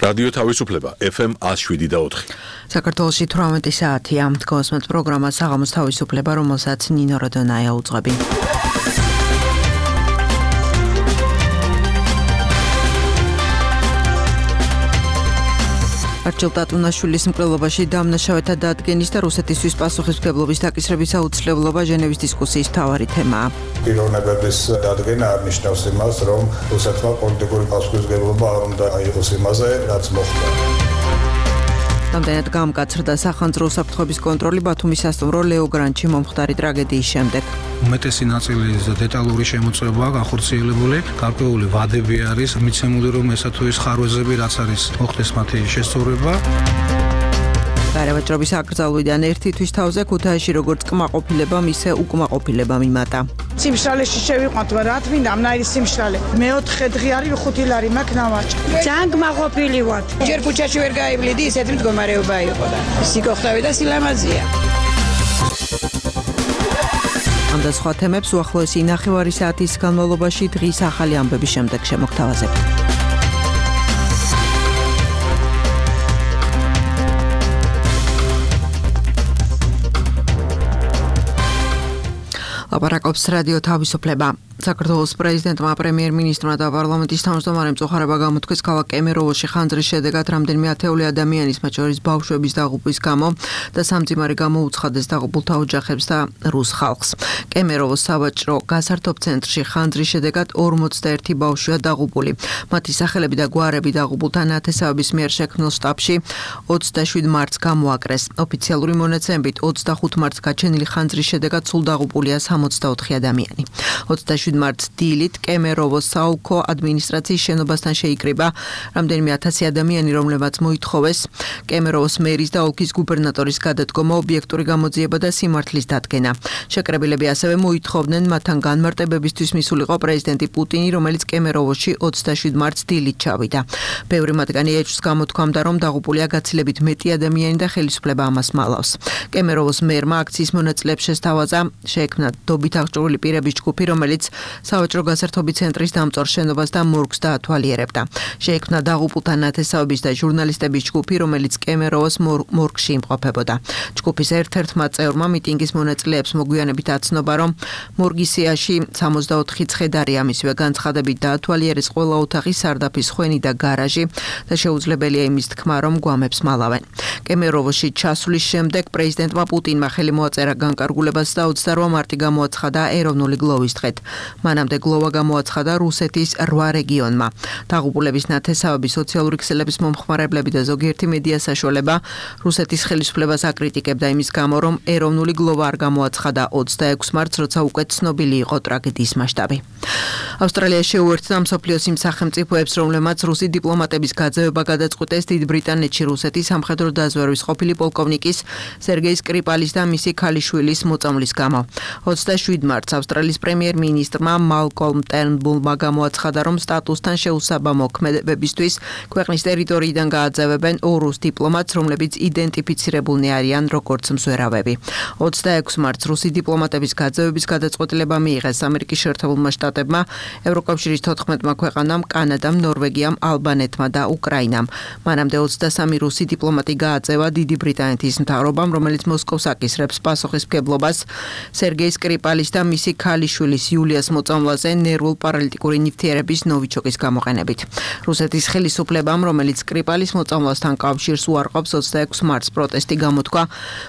რადიო თავისუფლება FM 107.4. საქართველოში 18 საათია. Დგოსმეთ პროგრამა საღამოს თავისუფლება, რომელსაც ნინო როდონაია უძღვები. არჩილ ტატუნაშვილის მკვლელობაში დამნაშავეთა დადგენის და რუსეთისთვის პასუხისმგებლობის დაკისრების აუცილებლობა ჟენევის დისკუსიის მთავარი თემაა. პიროვნებების დადგენა არნიშნავს იმას, რომ რუსეთმა პოლიტიკური პასუხისმგებლობა არ უნდა აიღოს იმაზე, რაც მოხდა. Რამდენად გამკაცრდა სახანძრო უსაფრთხოების კონტროლი ბათუმის სასტუმრო ლეო გრანჩი მომხდარი ტრაგედიის შემდეგ. უმეტესი ნაწილი დეტალური შემოწმებაა გახორციელებული, გარკვეული ვადები არის მიცემული, რომ ესა თუ ის ხარვეზები, რაც არის მოხდეს მათი შესწორება. გარევაჭრობის აკრძალვიდან ერთი თვის თავზე ქუთაისში როგორც კმაყოფილებამ, ისე უკმაყოფილებამ იმატა. სიმშრალეში შევიყვანთ, რა თქმა უნდა, სიმშრალე. მეოთხე დღე არის 5 ლარი მაქვს ნავაჭი. ძალიან კმაყოფილი ვარ. ჯერ ქუჩაში ვერ გაივლიდი, ისეთი მდგომარეობა იყო და სიკოხტავი და სილამაზია. ამ და სხვა თემებს უახლოესი 9 საათის განმავლობაში დღის ახალი ამბების შემდეგ შემოგთავაზებ. ლაპარაკობს რადიო თავისუფლება. საქართველოს პრეზიდენტმა, პრემიერ-მინისტრმა და პარლამენტის თავმჯდომარემ წოხარება გამოთქვეს ქალაქ კემეროვოში ხანძრის შედეგად რამდენიმე ათეული ადამიანის, მათ შორის ბავშვების დაღუპვის გამო და სამძიმარი გამოუცხადეს დაღუპულთა ოჯახებს და რუს ხალხს. კემეროვოს სავაჭრო გასართობ ცენტრში ხანძრის შედეგად 41 ბავშვია დაღუპული. მათი სახელები და გვარები დაღუპულთა ნათესავების მიერ შექმნილ შტაბში 27 მარტს გამოაკრეს. ოფიციალური მონაცემებით 25 მარტს გაჩენილი ხანძრის შედეგად სულ დაღუპულია 64 ადამიანი. 27 მარტს დილით კემეროვოს საოლქო ადმინისტრაციის შენობასთან შეიკრიბა რამდენიმე 1000 ადამიანი, რომლებმაც მოითხოვეს კემეროვოს მერის და ოლქის გუბერნატორის გადადგომა, ობიექტური გამოძიება და სიმართლის დადგენა. შეკრებილები ასევე მოითხოვდნენ მათთან განმარტებებისთვის მისულიყო პრეზიდენტი პუტინი, რომელიც კემეროვოში 27 მარტს დილით ჩავიდა. ბევრი მათგანი ეჭვს გამოთქვამდა, რომ დაღუპულია გაცილებით მეტი ადამიანი და ხელისუფლება ამას მალავს. კემეროვოს მერმა აქციის მონაწილეებს შესთავაზა შეექმნა დობით აღჭურვილი პირების ჯგუფი, რომელიც სავაჭრო გასართობი ცენტრის დამწვარ შენობას და მორგს დაათვალიერებდა. შეექმნა დაღუპულთა ნათესავების და ჟურნალისტების ჯგუფი, რომელიც კემეროვოს მორგში იმყოფებოდა. ჯგუფის ერთ-ერთმა წევრმა მიტინგის მონაწილეებს მოგვიანებით აცნობა, რომ მორგის სიაში 64 ცხედარია, მისივე განცხადებით დაათვალიერეს ყველა ოთახი, სარდაფის ხვენი და გარაჟი და შეუძლებელია იმის თქმა, რომ გვამებს მალავენ. კემეროვოში ჩასვლის შემდეგ პრეზიდენტმა პუტინმა ხელი მოაწერა განკარგულებას და 28 მარტი გამოაცხადა ეროვნული გლოვის დღედ. მანამდე გლოვა გამოაცხადა რუსეთის 8 რეგიონმა. დაღუპულების ნათესავების სოციალური ქსელების მომხმარებლები და ზოგიერთი მედია საშუალება რუსეთის ხელისუფლებას აკრიტიკებდა იმის გამო, რომ ეროვნული გლოვა არ გამოაცხადა 26 მარტს, როცა უკვე ცნობილი იყო ტრაგედიის მასშტაბი. ავსტრალია შეუერთდა მსოფლიოს იმ სახელმწიფოებს, რომლებმაც რუსი დიპლომატების გაძევება გადაწყვიტეს დიდ ბრიტანეთში რუსეთის სამხედრო დაზვერვის ყოფილი პოლკოვნიკის სერგეი სკრიპალის და მისი ქალიშვილის მოწამვლის გამო. 27 მარტს ავსტრალიის პრემიერ-მინისტრმა მალკოლმ ტერნბულმა გამოაცხადა, რომ სტატუსთან შეუსაბამო ქმედებებისთვის ქვეყნის ტერიტორიიდან გააძევებენ 2 რუს დიპლომატს, რომლებიც იდენტიფიცირებულნი არიან როგორც მსვერავები. 26 მარტს რუსი დიპლომატების გაძევების გადაწყვეტილება მიიღეს ამერიკის შეერთებულმა შტატებმა, ევროკავშირის 14 ქვეყანამ, კანადამ, ნორვეგიამ, ალბანეთმა და უკრაინამ. მანამდე 23 რუსი დიპლომატი გააძევა დიდი ბრიტანეთის მთავრობამ, რომელიც მოსკოვს აკისრებს პასუხისმგებლობას სერგეი სკრიპალის და მისი ქალიშვილის იულიას მოწამვლაზე ნერვულ-პარალიტიკური ნივთიერების ნოვიჩოკის გამოყენებით. რუსეთის ხელისუფლებამ, რომელიც სკრიპალის მოწამვლასთან კავშირს უარყოფს, 26 მარტს პროტესტი გამოთქვა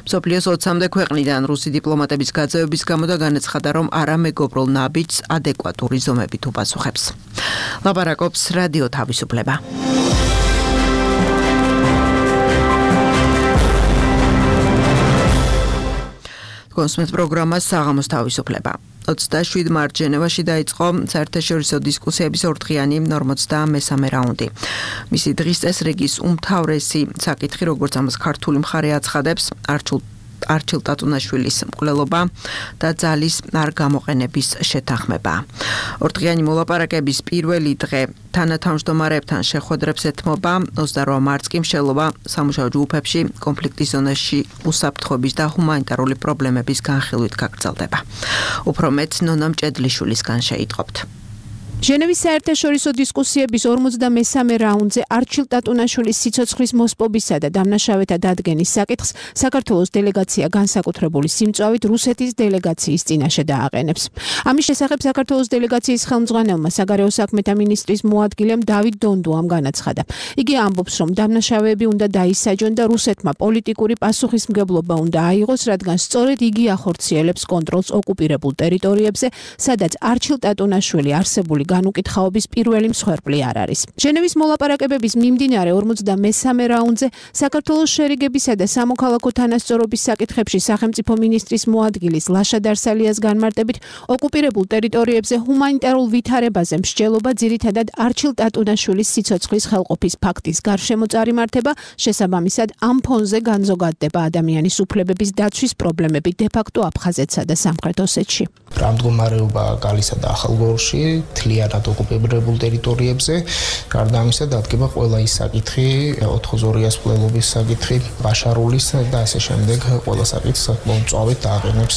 მსოფლიოს 20-მდე ქვეყნიდან რუსი დიპლომატების გაძევების გამო და განაცხადა, რომ არამეგობრულ ნაბიჯს ადეკვატური ზომებით უპასუხებს. ლაპარაკობს რადიო თავისუფლება. დგოსმეთ პროგრამას საღამოს თავისუფლება. 27 მარტს ჟენევაში დაიწყო საერთაშორისო დისკუსიების ორდღიანი 43 რაუნდი. მისი დღის წესრიგის უმთავრესი საკითხი, როგორც ამას ქართული მხარე აცხადებს, არჩილ ტატუნაშვილის მკვლელობა და ძალის არ გამოყენების შეთანხმება. ორდღიანი მოლაპარაკების პირველი დღე თანათავმჯდომარეებთან შეხვედრებს ეთმობა, 28 მარტს კი მშელობა სამუშაო ჯგუფებში კონფლიქტის ზონაში უსაფრთხოების და ჰუმანიტარული პრობლემების განხილვით გაგრძელდება. უფრო მეტ ნონა მჭედლიშვილისგან შეიტყობთ. ჟენევის საერთაშორისო დისკუსიების 43-მე რაუნდზე არჩილ ტატუნაშვილის სიცოცხლის მოსპობისა და დამნაშავეთა დადგენის საკითხს საქართველოს დელეგაცია განსაკუთრებული სიმწვავით რუსეთის დელეგაციის წინაშე დააყენებს. ამის შესახებ საქართველოს დელეგაციის ხელმძღვანელმა საგარეო საქმეთა მინისტრის მოადგილემ დავით დონდუამ განაცხადა. იგი ამბობს, რომ დამნაშავეები უნდა დაისაჯონ და რუსეთმა პოლიტიკური პასუხისმგებლობა უნდა აიღოს, რადგან სწორედ იგი ახორციელებს კონტროლს ოკუპირებულ ტერიტორიებზე, სადაც არჩილ ტატუნაშვილი არსებული განუკითხაობის პირველი მსხვერპლი არ არის. ჟენევის მოლაპარაკებების მიმდინარე 43-მე რაუნდზე საქართველოს შერიგებისა და სამოქალაქო თანასწორობის საკითხებში სახელმწიფო მინისტრის მოადგილის ლაშა დარსალიას განმარტებით ოკუპირებულ ტერიტორიებზე ჰუმანიტარულ ვითარებაზე მსჯელობა ძირითადად არჩილ ტატუნაშვილის სიცოცხლის ხელყოფის ფაქტის გარშემო წარიმართება, შესაბამისად ამ ფონზე განზოგადდება ადამიანის უფლებების დაცვის პრობლემები დე-ფაქტო აფხაზეთსა და სამხრეთ ოსეთში. რა მდგომარეობა გალისა და ახალგორში თლიანად ოკუპირებულ ტერიტორიებზე, გარდა ამისა დადგება ყველა ის საკითხი, 402-ას მკვლელობის საკითხი, ბაშარულის და ასე შემდეგ ყველა საკითხს მომწვავედ დააყენებს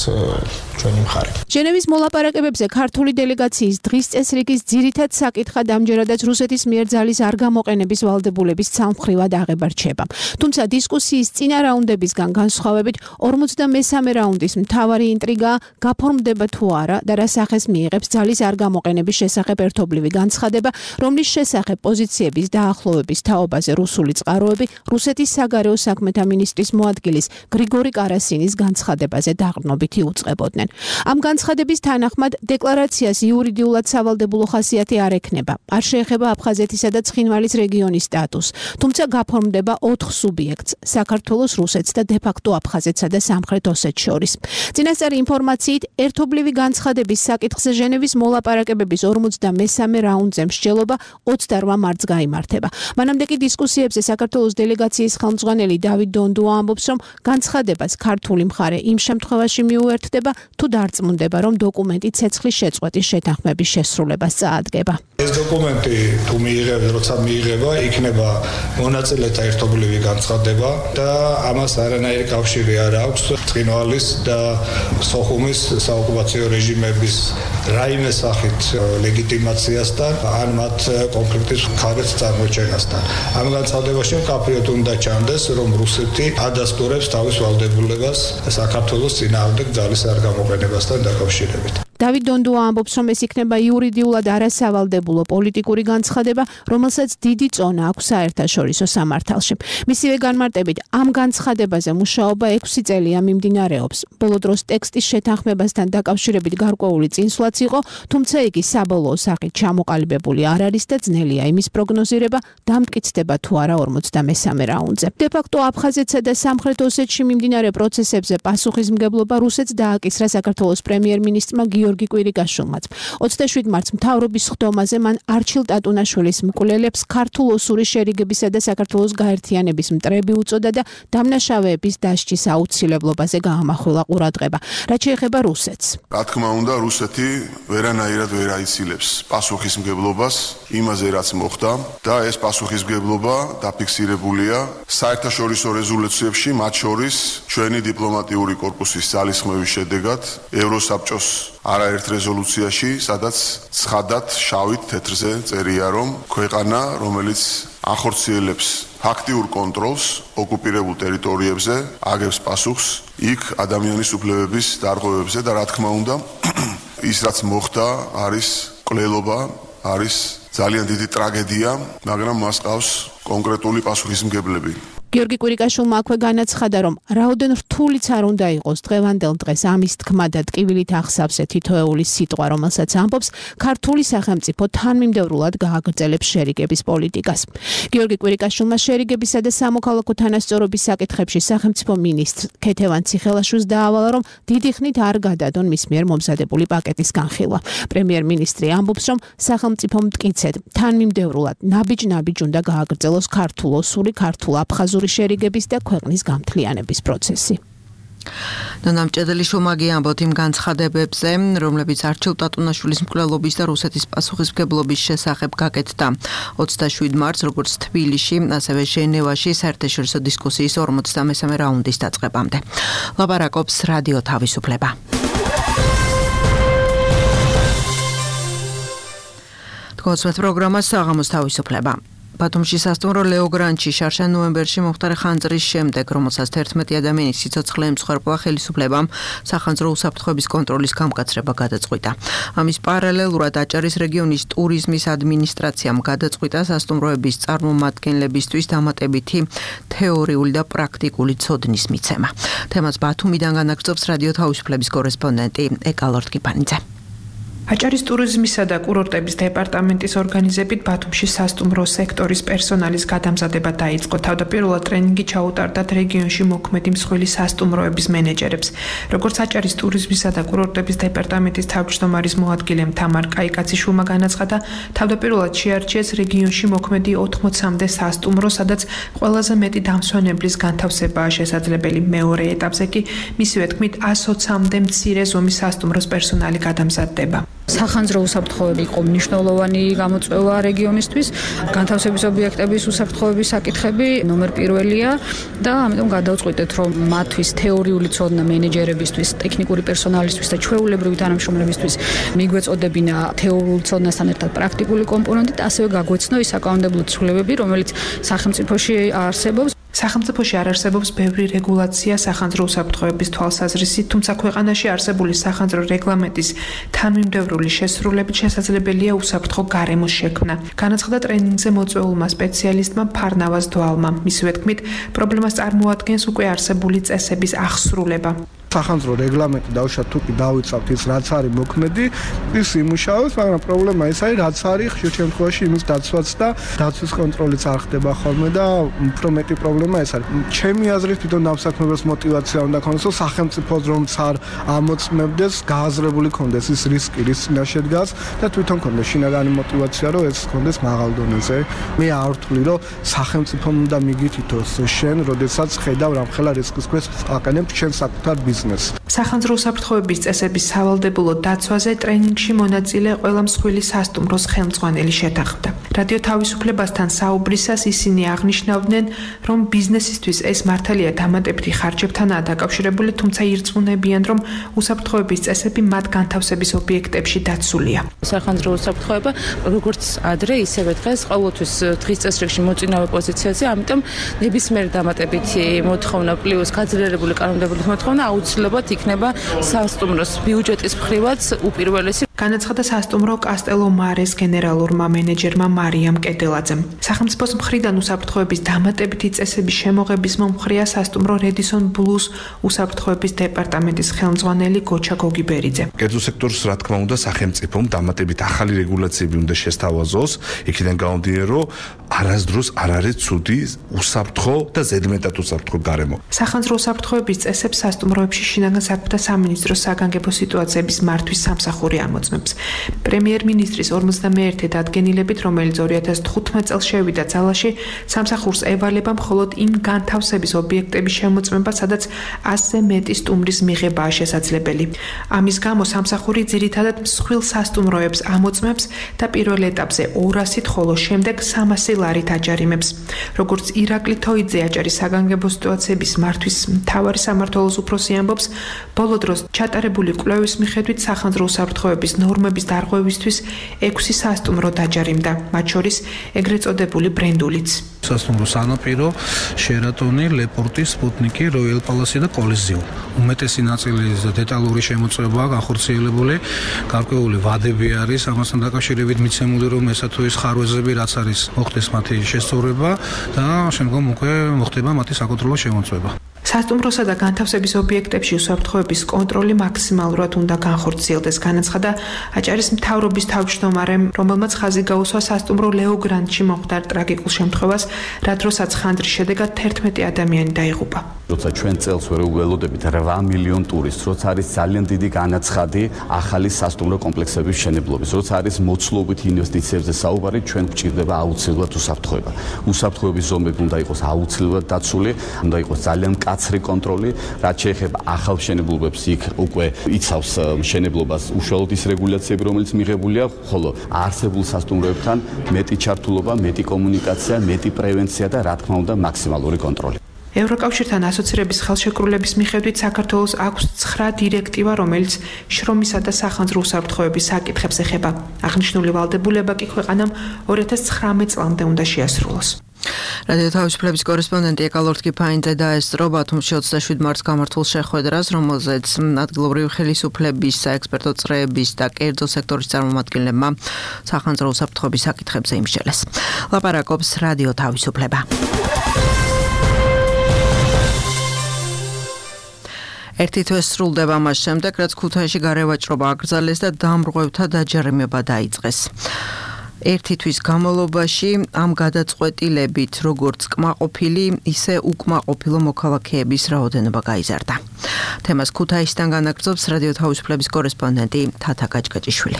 ჩვენი მხარე. ჟენევის მოლაპარაკებებზე ქართული დელეგაციის დღის წესრიგის ძირითად საკითხად ამჯერადაც რუსეთის მიერ ძალის არ გამოყენების ვალდებულების ცალმხრივად აღება რჩება. თუმცა დისკუსიის წინა რაუნდებისგან განსხვავებით 43-მე რაუნდის მთავარი ინტრიგაა გაფორმდება თუ არა და რა სახეს მიიღებს ძალის არ გამოყენების შესახებ ერთობლივი განცხადება, რომლის შესახებ პოზიციების დაახლოების თაობაზე რუსული წყაროები რუსეთის საგარეო საქმეთა მინისტრის მოადგილის გრიგორი კარასინის განცხადებაზე დაყრდნობით იუწყებოდნენ. ამ განცხადების თანახმად დეკლარაციას იურიდიულად სავალდებულო ხასიათი არ ექნება. არ შეეხება აფხაზეთისა და ცხინვალის რეგიონის სტატუსს, თუმცა გაფორმდება 4 სუბიექტს: საქართველოს, რუსეთს და დე-ფაქტო აფხაზეთსა და სამხრეთ ოსეთს შორის. წინასწარი ინფორმაციით, ერთობლივი განცხადების საკითხზე ჟენევის მოლაპარაკებების 43-მე რაუნდზე მსჯელობა 28 მარტს გაიმართება. მანამდე კი დისკუსიებზე საქართველოს დელეგაციის ხელმძღვანელი დავით დონდუა ამბობს, რომ განცხადებას ქართული მხარე იმ შემთხვევაში მიუერთდება, თუ დარწმუნდება, რომ დოკუმენტი ცეცხლის შეწყვეტის შეთანხმების შესრულებას წაადგება. ეს დოკუმენტი თუ როცა მიიღება, იქნება მონაწილეთა ერთობლივი განცხადება და ამას არანაირი კავშირი არ აქვს ცხინვალის და სოხუმის საოკუპაციო რეჟიმების რაიმე სახით ლეგიტიმაციასთან ან მათ კონფლიქტის მხარეს წარმოჩენასთან. ამ განცხადებაში მკაფიოდ უნდა ჩანდეს, რომ რუსეთი ადასტურებს თავის ვალდებულებას საქართველოს წინააღმდეგ ძალის არ გამოყენებასთან დაკავშირებით. დავით დონდუა ამბობს, რომ ეს იქნება იურიდიულად არასავალდებულო პოლიტიკური განცხადება, რომელსაც დიდი წონა აქვს საერთაშორისო სამართალში. მისივე განმარტებით, ამ განცხადებაზე მუშაობა 6 წელია მიმდინარეობს. ბოლო დროს ტექსტის შეთანხმებასთან დაკავშირებით გარკვეული წინსვლაც იყო, თუმცა იგი საბოლოო სახით ჩამოყალიბებული არ არის და ძნელია იმის პროგნოზირება, დამტკიცდება თუ არა 43-მე რაუნდზე. დე-ფაქტო აფხაზეთსა და სამხრეთ ოსეთში მიმდინარე პროცესებზე პასუხისმგებლობა რუსეთს დააკისრა საქართველოს პრემიერ-მინისტრმა გიორგი კვირიკაშვილმაც. 27 მარტს მთავრობის ხდომაზე მან არჩილ ტატუნაშვილის მკვლელებს ქართულ-ოსური შერიგებისა და საქართველოს გაერთიანების მტრები უწოდა და დამნაშავეების დასჯის აუცილებლობაზე გაამახვილა ყურადღება. რაც შეეხება რუსეთს. რა თქმა უნდა, რუსეთი ვერანაირად ვერ აიცილებს პასუხისმგებლობას იმაზე, რაც მოხდა და ეს პასუხისმგებლობა დაფიქსირებულია საერთაშორისო რეზოლუციებში, მათ შორის ჩვენი დიპლომატიური კორპუსის ძალისხმევის შედეგად ევროსაბჭოს არაერთ რეზოლუციაში, სადაც ცხადად შავით თეთრზე წერია, რომ ქვეყანა, რომელიც ახორციელებს ფაქტიურ კონტროლს ოკუპირებულ ტერიტორიებზე, აგებს პასუხს იქ ადამიანის უფლებების დარღვევებზე და რა თქმა უნდა, ის რაც მოხდა არის მკვლელობა, არის ძალიან დიდი ტრაგედია, მაგრამ მას ყავს კონკრეტული პასუხისმგებლები. გიორგი კვირიკაშვილმა აქვე განაცხადა, რომ რაოდენ რთულიც არ უნდა იყოს დღევანდელ დღეს ამის თქმა და ტკივილით ახსავსე თითოეული სიტყვა, რომელსაც ამბობს ქართული სახელმწიფო თანმიმდევრულად გააგრძელებს შერიგების პოლიტიკას. გიორგი კვირიკაშვილმა შერიგებისა და სამოქალაქო თანასწორობის საკითხებში სახელმწიფო მინისტრ ქეთევან ციხელაშვილს დაავალა, რომ დიდი ხნით არ გადადონ მის მიერ მომზადებული პაკეტის განხილვა. პრემიერ-მინისტრი ამბობს, რომ სახელმწიფო მტკიცედ თანმიმდევრულად ნაბიჯ-ნაბიჯ უნდა გააგრძელოს ქართულ-ოსური, ქართულ-აფხაზური შერიგების და ქვეყნის გამთლიანების პროცესი. ნონა მჭედელიშვილმა ამბობთ იმ განცხადებებზე, რომლებიც არჩილ ტატუნაშვილის მკვლელობის და რუსეთის პასუხისმგებლობის შესახებ გაკეთდა 27 მარტს, როგორც თბილისში, ასევე ჟენევაში საერთაშორისო დისკუსიის 43-მე რაუნდის დაწყებამდე. ლაპარაკობს რადიო თავისუფლება. კონცერტ პროგრამა საღამოს თავისუფლება. ბათუმში სასტუმრო ლეო გრანჩი შარშან ნოემბერში მომხდარი ხანძრის შემდეგ, რომელსაც 11 ადამიანის სიცოცხლე ემსხვერპლა, ხელისუფლებამ სახანძრო უსაფრთხოების კონტროლის გამკაცრება გადაწყვიტა. ამის პარალელურად აჭარის რეგიონის ტურიზმის ადმინისტრაციამ გადაწყვიტა სასტუმროების წარმომადგენლებისთვის დამატებითი თეორიული და პრაქტიკული ცოდნის მიცემა. თემას ბათუმიდან განაგრძობს რადიო თავისუფლების კორესპონდენტი ეკალორტკიფანიძე. აჭარის ტურიზმისა და კურორტების დეპარტამენტის ორგანიზებით ბათუმში სასტუმრო სექტორის პერსონალის გადამზადება დაიწყო. თავდაპირველად ტრენინგი ჩაუტარდათ რეგიონში მოქმედი მსხვილი სასტუმროების მენეჯერებს. როგორც აჭარის ტურიზმისა და კურორტების დეპარტამენტის თავმჯდომარის მოადგილე თამარ კაიკაციშვილმა განაცხადა, თავდაპირველად შეარჩიეს რეგიონში მოქმედი 80-მდე სასტუმრო, სადაც ყველაზე მეტი დამსვენებლის განთავსებაა შესაძლებელი. მეორე ეტაპზე კი მისივე თქმით 120-მდე მცირე ზომის სასტუმროს პერსონალი გადამზადდება. სახანძრო უსაფრთხოები იყო მნიშვნელოვანი გამოწვევა რეგიონისთვის. განთავსების ობიექტების უსაფრთხოების საკითხები ნომერ პირველია და ამიტომ გადავწყვიტეთ, რომ მათთვის თეორიული ცოდნა მენეჯერებისთვის, ტექნიკური პერსონალისთვის და ჩვეულებრივი თანამშრომლებისთვის მიგვეწოდებინა თეორიული ცოდნასთან ერთად პრაქტიკული კომპონენტით, ასევე გაგვეცნო ის საკანონმდებლო ცვლილებები, რომელიც სახელმწიფოში არსებობს. სახელმწიფოში არ არსებობს ბევრი რეგულაცია სახანძრო უსაფრთხოების თვალსაზრისით, თუმცა ქვეყანაში არსებული სახანძრო რეგლამენტის თანმიმდევრული შესრულებით შესაძლებელია უსაფრთხო გარემოს შექმნა. განაცხადა ტრენინგზე მოწვეულმა სპეციალისტმა ფარნავაზ დვალმა. მისივე თქმით, პრობლემას წარმოადგენს უკვე არსებული წესების აღსრულება. სახანძრო რეგლამენტი დავუშვათ თუ კი დავიცავთ ის რაც არის მოქმედი, ის იმუშავებს, მაგრამ პრობლემა ის არის, რაც არის ხშირ შემთხვევაში იმის დაცვაც და დაცვის კონტროლიც არ ხდება ხოლმე და უფრო მეტი პრობლემა ეს არის. ჩემი აზრით თვითონ დამსაქმებელს мотиваცია უნდა ქონდეს, რომ სახელმწიფოს რომც არ ამოწმებდეს, გააზრებული ქონდეს ის რისკი, რის წინაშე დგას და თვითონ ქონდეს შინაგანი мотиваცია, რომ ეს ქონდეს მაღალ დონეზე. მე არ ვთვლი, რომ სახელმწიფომ უნდა მიგითითოს შენ, როდესაც ხედავ რამხელა რისკის ქვეშ აკანებ შენ საკუთარ ბიზნესს. სახანძრო უსაფრთხოების წესების სავალდებულო დაცვაზე ტრენინგში მონაწილე ყველა მსხვილი სასტუმროს ხელმძღვანელი შეთანხმდა. რადიო თავისუფლებასთან საუბრისას ისინი აღნიშნავდნენ, რომ ბიზნესისთვის ეს მართალია დამატებითი ხარჯებთანაა დაკავშირებული, თუმცა ირწმუნებიან, რომ უსაფრთხოების წესები მათ განთავსების ობიექტებში დაცულია. სახანძრო უსაფრთხოება როგორც ადრე, ისევე დღეს ყოველთვის დღის წესრიგში მოწინავე პოზიციაზე, ამიტომ ნებისმიერ დამატებითი მოთხოვნა პლუს გაძლიერებული კანონმდებლობის მოთხოვნა აუცილებლად იქნება სასტუმროს ბიუჯეტის მხრივაც უპირველესი. განაცხადა სასტუმრო კასტელო მარეს გენერალურმა მენეჯერმა მარიამ კედელაძემ. სახელმწიფოს მხრიდან უსაფრთხოების დამატებითი წესების შემოღების მომხრეა სასტუმრო რედისონ ბლუს უსაფრთხოების დეპარტამენტის ხელმძღვანელი გოჩა გოგიბერიძე. კერძო სექტორს რა თქმა უნდა სახელმწიფომ დამატებით ახალი რეგულაციები უნდა შესთავაზოს, იქიდან გამომდინარე, რომ არასდროს არ არის ცუდი უსაფრთხო და ზედმეტად უსაფრთხო გარემო. სახანძრო უსაფრთხოების წესებს სასტუმროებში შინაგან საქმეთა სამინისტროს საგანგებო სიტუაციების მართვის სამსახური ამოწმებს. პრემიერ-მინისტრის 51 დადგენილებით, რომელიც 2015 წელს შევიდა ძალაში, სამსახურს ევალება მხოლოდ იმ განთავსების ობიექტების შემოწმება, სადაც 100-ზე მეტი სტუმრის მიღებაა შესაძლებელი. ამის გამო სამსახური ძირითადად მსხვილ სასტუმროებს ამოწმებს და პირველ ეტაპზე 200-ით, ხოლო შემდეგ 300 ლარით აჯარიმებს. როგორც ირაკლი თოიძე აჭარის საგანგებო სიტუაციების მართვის მთავარი სამმართველოს უფროსი ამბობს, ბოლო დროს ჩატარებული კვლევის მიხედვით სახანძრო უსაფრთხოების ნორმების დარღვევისთვის 6 სასტუმრო დაჯარიმდა, მათ შორის ეგრეთ წოდებული ბრენდულიც. სასტუმრო სანაპირო, შერატონი, ლეპორტი, სპუტნიკი, როიალ პალასი და კოლიზიუმ. უმეტესი ნაწილის დეტალური შემოწმებაა განხორციელებული, გარკვეული ვადები არის, ამასთან დაკავშირებით მიცემული, რომ ესა თუ ის ხარვეზები რაც არის, მოხდეს მათი შესწორება და შემდგომ უკვე მოხდება მათი საკონტროლო შემოწმება. სასტუმროსა და განთავსების ობიექტებში უსაფრთხოების კონტროლი მაქსიმალურად უნდა განხორციელდეს, განაცხადა აჭარის მთავრობის თავმჯდომარემ, რომელმაც ხაზი გაუსვა სასტუმრო ლეო გრანჩი მომხდარ ტრაგიკულ შემთხვევას, რა დროსაც ხანძრის შედეგად 11 ადამიანი დაიღუპა. როცა ჩვენ წელს ვერ უველოდებით 8 მილიონ ტურისტს, როცა არის ძალიან დიდი განაცხადი ახალი სასტუმრო კომპლექსების მშენებლობის, როცა არის მოცულობით ინვესტიციებზე საუბარი, ჩვენ გვჭირდება აუცილებლად უსაფრთხოება. უსაფრთხოების ზომები უნდა იყოს აუცილებლად დაცული, უნდა იყოს ძალიან კაცრი კონტროლი, რაც შეეხება ახალ მშენებლობებს, იქ უკვე იცავს მშენებლობას უშუალოდ ის რეგულაციები, რომელიც მიღებულია, ხოლო არსებულ სასტუმროებთან მეტი ჩართულობა, მეტი კომუნიკაცია, მეტი პრევენცია და რა თქმა უნდა მაქსიმალური კონტროლი. ევროკავშირთან ასოცირების ხელშეკრულების მიხედვით საქართველოს აქვს 9 დირექტივა, რომელიც შრომისა და სახანძრო უსაფრთხოების საკითხებს ეხება. აღნიშნული ვალდებულება კი ქვეყანამ 2019 წლამდე უნდა შეასრულოს. რადიო თავისუფლების კორესპონდენტი ეკალორთკი ფაინძე დაესწრო ბათუმში 27 მარტს გამართულ შეხვედრას, რომელზეც ადგილობრივი ხელისუფლების, საექსპერტო წრეების და კერძო სექტორის წარმომადგენლებმა სახანძრო უსაფრთხოების საკითხებზე იმსჯელეს. ლაპარაკობს რადიო თავისუფლება. ერთი თვე სრულდება მას შემდეგ, რაც ქუთაისში გარევაჭრობა აკრძალეს და დამრღვევთა დაჯერიმება დაიწყეს. ერთი თვის განმავლობაში ამ გადაწყვეტილებით როგორც კმაყოფილი, ისე უკმაყოფილო მოქალაქეების რაოდენობა გაიზარდა. თემას ქუთაისიდან განაგრძობს რადიო თავისუფლების კორესპონდენტი თათა გაჭგაჭიშვილი.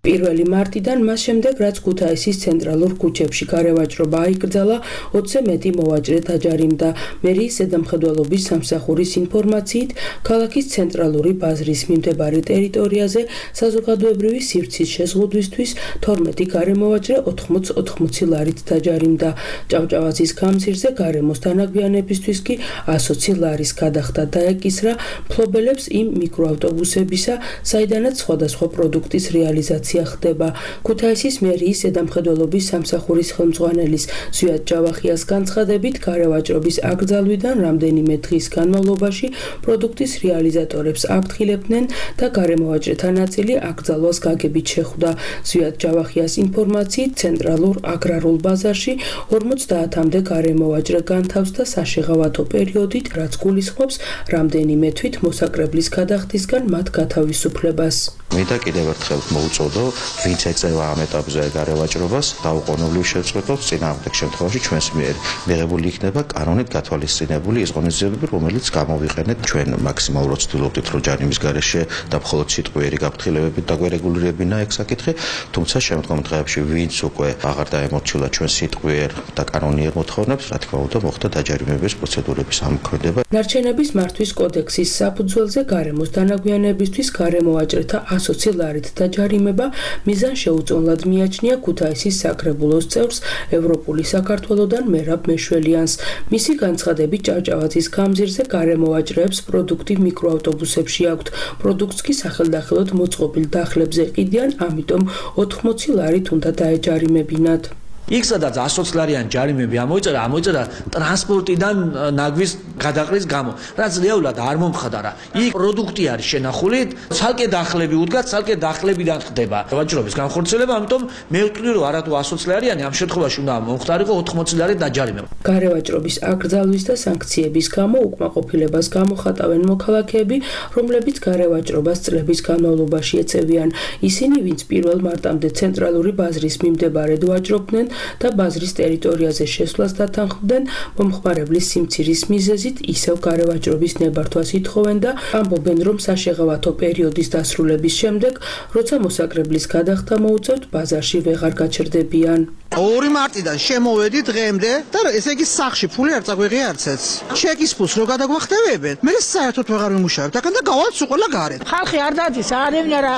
1 მარტიდან მას შემდეგ, რაც ქუთაისის ცენტრალურ ქუჩებში გარევაჭრობა აიკრძალა, 20-ზე მეტი მოვაჭრე დაჯარიმდა. მერიის ზედამხედველობის სამსახურის ინფორმაციით, ქალაქის ცენტრალური ბაზრის მიმდებარე ტერიტორიაზე საზოგადოებრივი სივრცის შეზღუდვისთვის 12 გარემოვაჭრე 80 ლარით დაჯარიმდა. ჭავჭავაძის გამზირზე გარემოს თანაგვიანებისთვის კი 120 ლარის გადახდა დაეკისრა მფლობელებს იმ მიკროავტობუსებისა, საიდანაც სხვადასხვა პროდუქტის რეალიზაცია ხდება. ქუთაისის მერიის ზედამხედველობის სამსახურის ხელმძღვანელის ზვიად ჯავახიას განცხადებით, გარევაჭრობის აკრძალვიდან რამდენიმე დღის განმავლობაში პროდუქტის რეალიზატორებს აფრთხილებდნენ და გარემოვაჭრეთა ნაწილი აკრძალვას გაგებით შეხვდა. ზვიად ჯავახიას ინფორმაციით, ცენტრალურ აგრარულ ბაზარში 50-მდე გარემოვაჭრე განთავსდა საშეღავათო პერიოდით, რაც გულისხმობს რამდენიმე თვით მოსაკრებლის გადახდისგან მათ გათავისუფლებას. მინდა კიდევ ერთხელ მოუწოდო, ვინც ეწევა ამ ეტაპზე გარევაჭრობას, დაუყოვნებლივ შევწყვეტოთ, წინააღმდეგ შემთხვევაში ჩვენს მიერ მიღებული იქნება კანონით გათვალისწინებული ის ღონისძიებები, რომელიც გამოვიყენეთ ჩვენ მაქსიმალურად ვცდილობდით, რომ ჯარიმის გარეშე და მხოლოდ სიტყვიერი გაფრთხილებებით დაგვერეგულირებინა ეგ საკითხი, თუმცა შემდგომ დღეებში ვინც უკვე აღარ დაემორჩილა ჩვენ სიტყვიერ და კანონიერ მოთხოვნებს, რა თქმა უნდა, მოხდა დაჯარიმების პროცედურების ამოქმედება. ნარჩენების მართვის კოდექსის საფუძველზე გარემოს თანაგვიანებისთვის გარემოვაჭრეთა 120 ლარით დაჯარიმება მიზან შეუწონლად მიაჩნია ქუთაისის საკრებულოს წევრს ევროპული საქართველოდან მერაბ მეშველიანს. მისი განცხადებით, ჭავჭავაძის გამზირზე გარემოვაჭრეებს პროდუქტი მიკროავტობუსებში აქვთ. პროდუქტს კი სახელდახელოდ მოწყობილ დახლებზე ყიდიან, ამიტომ 80 ლარით უნდა დაეჯარიმებინათ. იქ სადაც 120 ლარიანი ჯარიმები ამოიწერა ტრანსპორტიდან ნაგვის გადაყრის გამო, რაც რეალურად არ მომხდარა. იქ პროდუქტი არის შენახული, ცალკე დახლები უდგას, ცალკე დახლებიდან ხდება ვაჭრობის განხორციელება, ამიტომ მე ვთვლი, რომ არათუ 120 ლარიანი ამ შემთხვევაში უნდა მომხდარიყო 80 ლარით დაჯარიმება. გარევაჭრობის აკრძალვის და სანქციების გამო უკმაყოფილებას გამოხატავენ მოქალაქეები, რომლებიც გარევაჭრობას წლების განმავლობაში ეწევიან. ისინი, ვინც 1 მარტამდე ცენტრალური ბაზრის მიმდებარედ ვაჭრობდნენ და ბაზრის ტერიტორიაზე შესვლას დათანხმდნენ, მომხმარებლის სიმცირის მიზეზით ისევ გარევაჭრობის ნებართვას ითხოვენ და ამბობენ, რომ საშეღავათო პერიოდის დასრულების შემდეგ, როცა მოსაკრებლის გადახდა მოუწევთ, ბაზარში ვეღარ გაჩერდებიან. 2 მარტიდან შემოვედი დღემდე და ესე იგი სახში ფული არ წაგვიღია არცეც. ჩეკის ფულს რო გადაგვახტევებენ, მე საერთოდ ვეღარ ვიმუშავებ, აქ და გავაცუ ყველა გარეთ. ხალხი არ დადის, არევნა რა.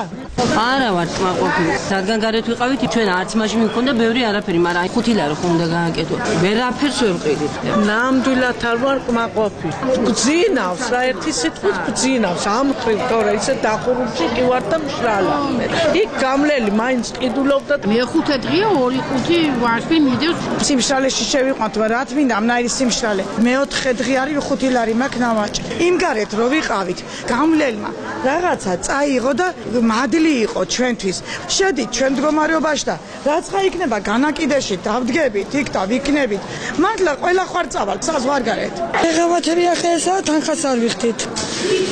არა ვარ კმაყოფილი. რადგან გარეთ ვიყავით, ჩვენ არც მაშინ მქონდა ბევრი არაფერი, მაგრამ 5 ლარი ხომ უნდა გააკეთო. ვერაფერს ვერ ვყიდით. ნამდვილად არ ვარ კმაყოფილი. გძინავს რა ერთი სიტყვით გძინავს. ამხრივ თორე ისე დახურული კი ვარ და მშრალა. იქ გამლელი მაინც ყიდულობდა. მე-5 დღეა 2-5 ვარსი მიდევს. სიმშრალეში შევიყვანთ, რა თმინდა, ამნაირი სიმშრალე. მე-4 დღე არის 5 ლარი მაქვს ნამაჭი. იმ გარეთ რო ვიყავით, გამლელმა რაღაცა წაიღო და მადლი იყო ჩვენთვის. შედით ჩვენ მდგომარეობაში და რაცა იქნება განაკიდეში დავდგებით, იქ და ვიქნებით. მართლა ყველა ხარწავალ ცას ვარ გარეთ. ეხავათები ახლა თანხას არ ვიხდით.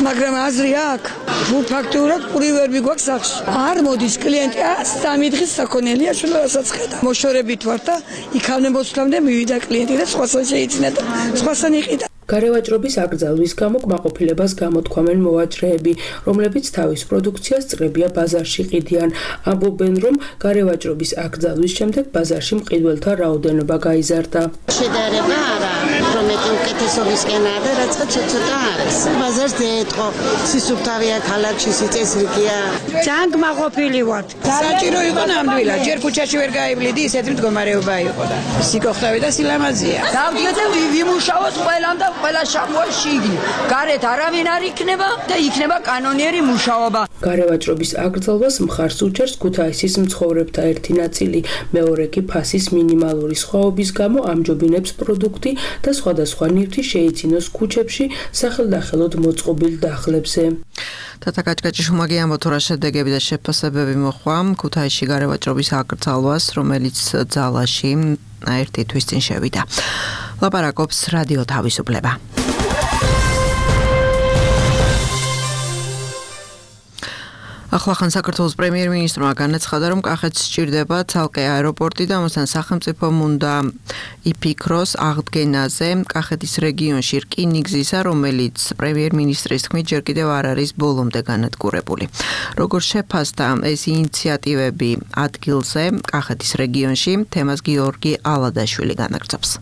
მაგრამ აზრი აქვს. თუ ფაქტურად პური ვერ მიგვაქვს სახში. არ მოდის კლიენტი, 3 დღის საქონელია შეიძლება რასაც ხედა. მოშორებით ვარ და იქამდე მოსვლამდე მივიდა კლიენტი და სხვასთან შეიძინა და სხვასთან იყიდა. გარევაჭრობის აკრძალვის გამო კმაყოფილებას გამოთქვამენ მოვაჭრეები, რომლებიც თავის პროდუქციას წრებია ბაზარში ყიდიან. ამბობენ, რომ გარევაჭრობის აკრძალვის შემდეგ ბაზარში მყიდველთა რაოდენობა გაიზარდა. შედარება არა, რომ უკეთესობისკენ არა, რაცა ცოტა არის. ბაზარს დაეთყო, სისუფთავეა ქალაქში, სიწესრიგეა. ძალიან კმაყოფილი ვართ. საჭირო იყო ნამდვილად, ჯერ ქუჩაში ვერ გაივლიდი, ისეთი მდგომარეობა იყო და სიკოხტავი და სილამაზეა. დავდგეთ ვიმუშაოთ ყველამ და ყველა შამოა შიგნით. გარეთ არავინ არ იქნება და იქნება კანონიერი მუშაობა. გარევაჭრობის აკრძალვას მხარს უჭერს ქუთაისის მცხოვრებთა ერთი ნაწილი, მეორე კი ფასის მინიმალური სხვაობის გამო ამჯობინებს პროდუქტი და სხვადასხვა ნივთი შეიცინოს ქუჩებში სახელდახელოდ მოწყობილ დახლებზე. თათა კაჭკაჭიშუმაგი ამბობთ, რა შედეგები და შეფასებები მოხვა ქუთაისში გარევაჭრობის აკრძალვას, რომელიც ძალაში ერთი თვის წინ შევიდა. ლაპარაკობს რადიო თავისუფლება. ახლახან საქართველოს პრემიერ-მინისტრმა განაცხადა, რომ კახეთს სჭირდება ცალკე აეროპორტი და ამასთან სახელმწიფომ უნდა იფიქროს აღდგენაზე კახეთის რეგიონში რკინიგზისა, რომელიც პრემიერ-მინისტრის თქმით ჯერ კიდევ არ არის ბოლომდე განადგურებული. როგორ შეფასდა ეს ინიციატივები ადგილზე კახეთის რეგიონში, თემას გიორგი ალადაშვილი განაგრძობს.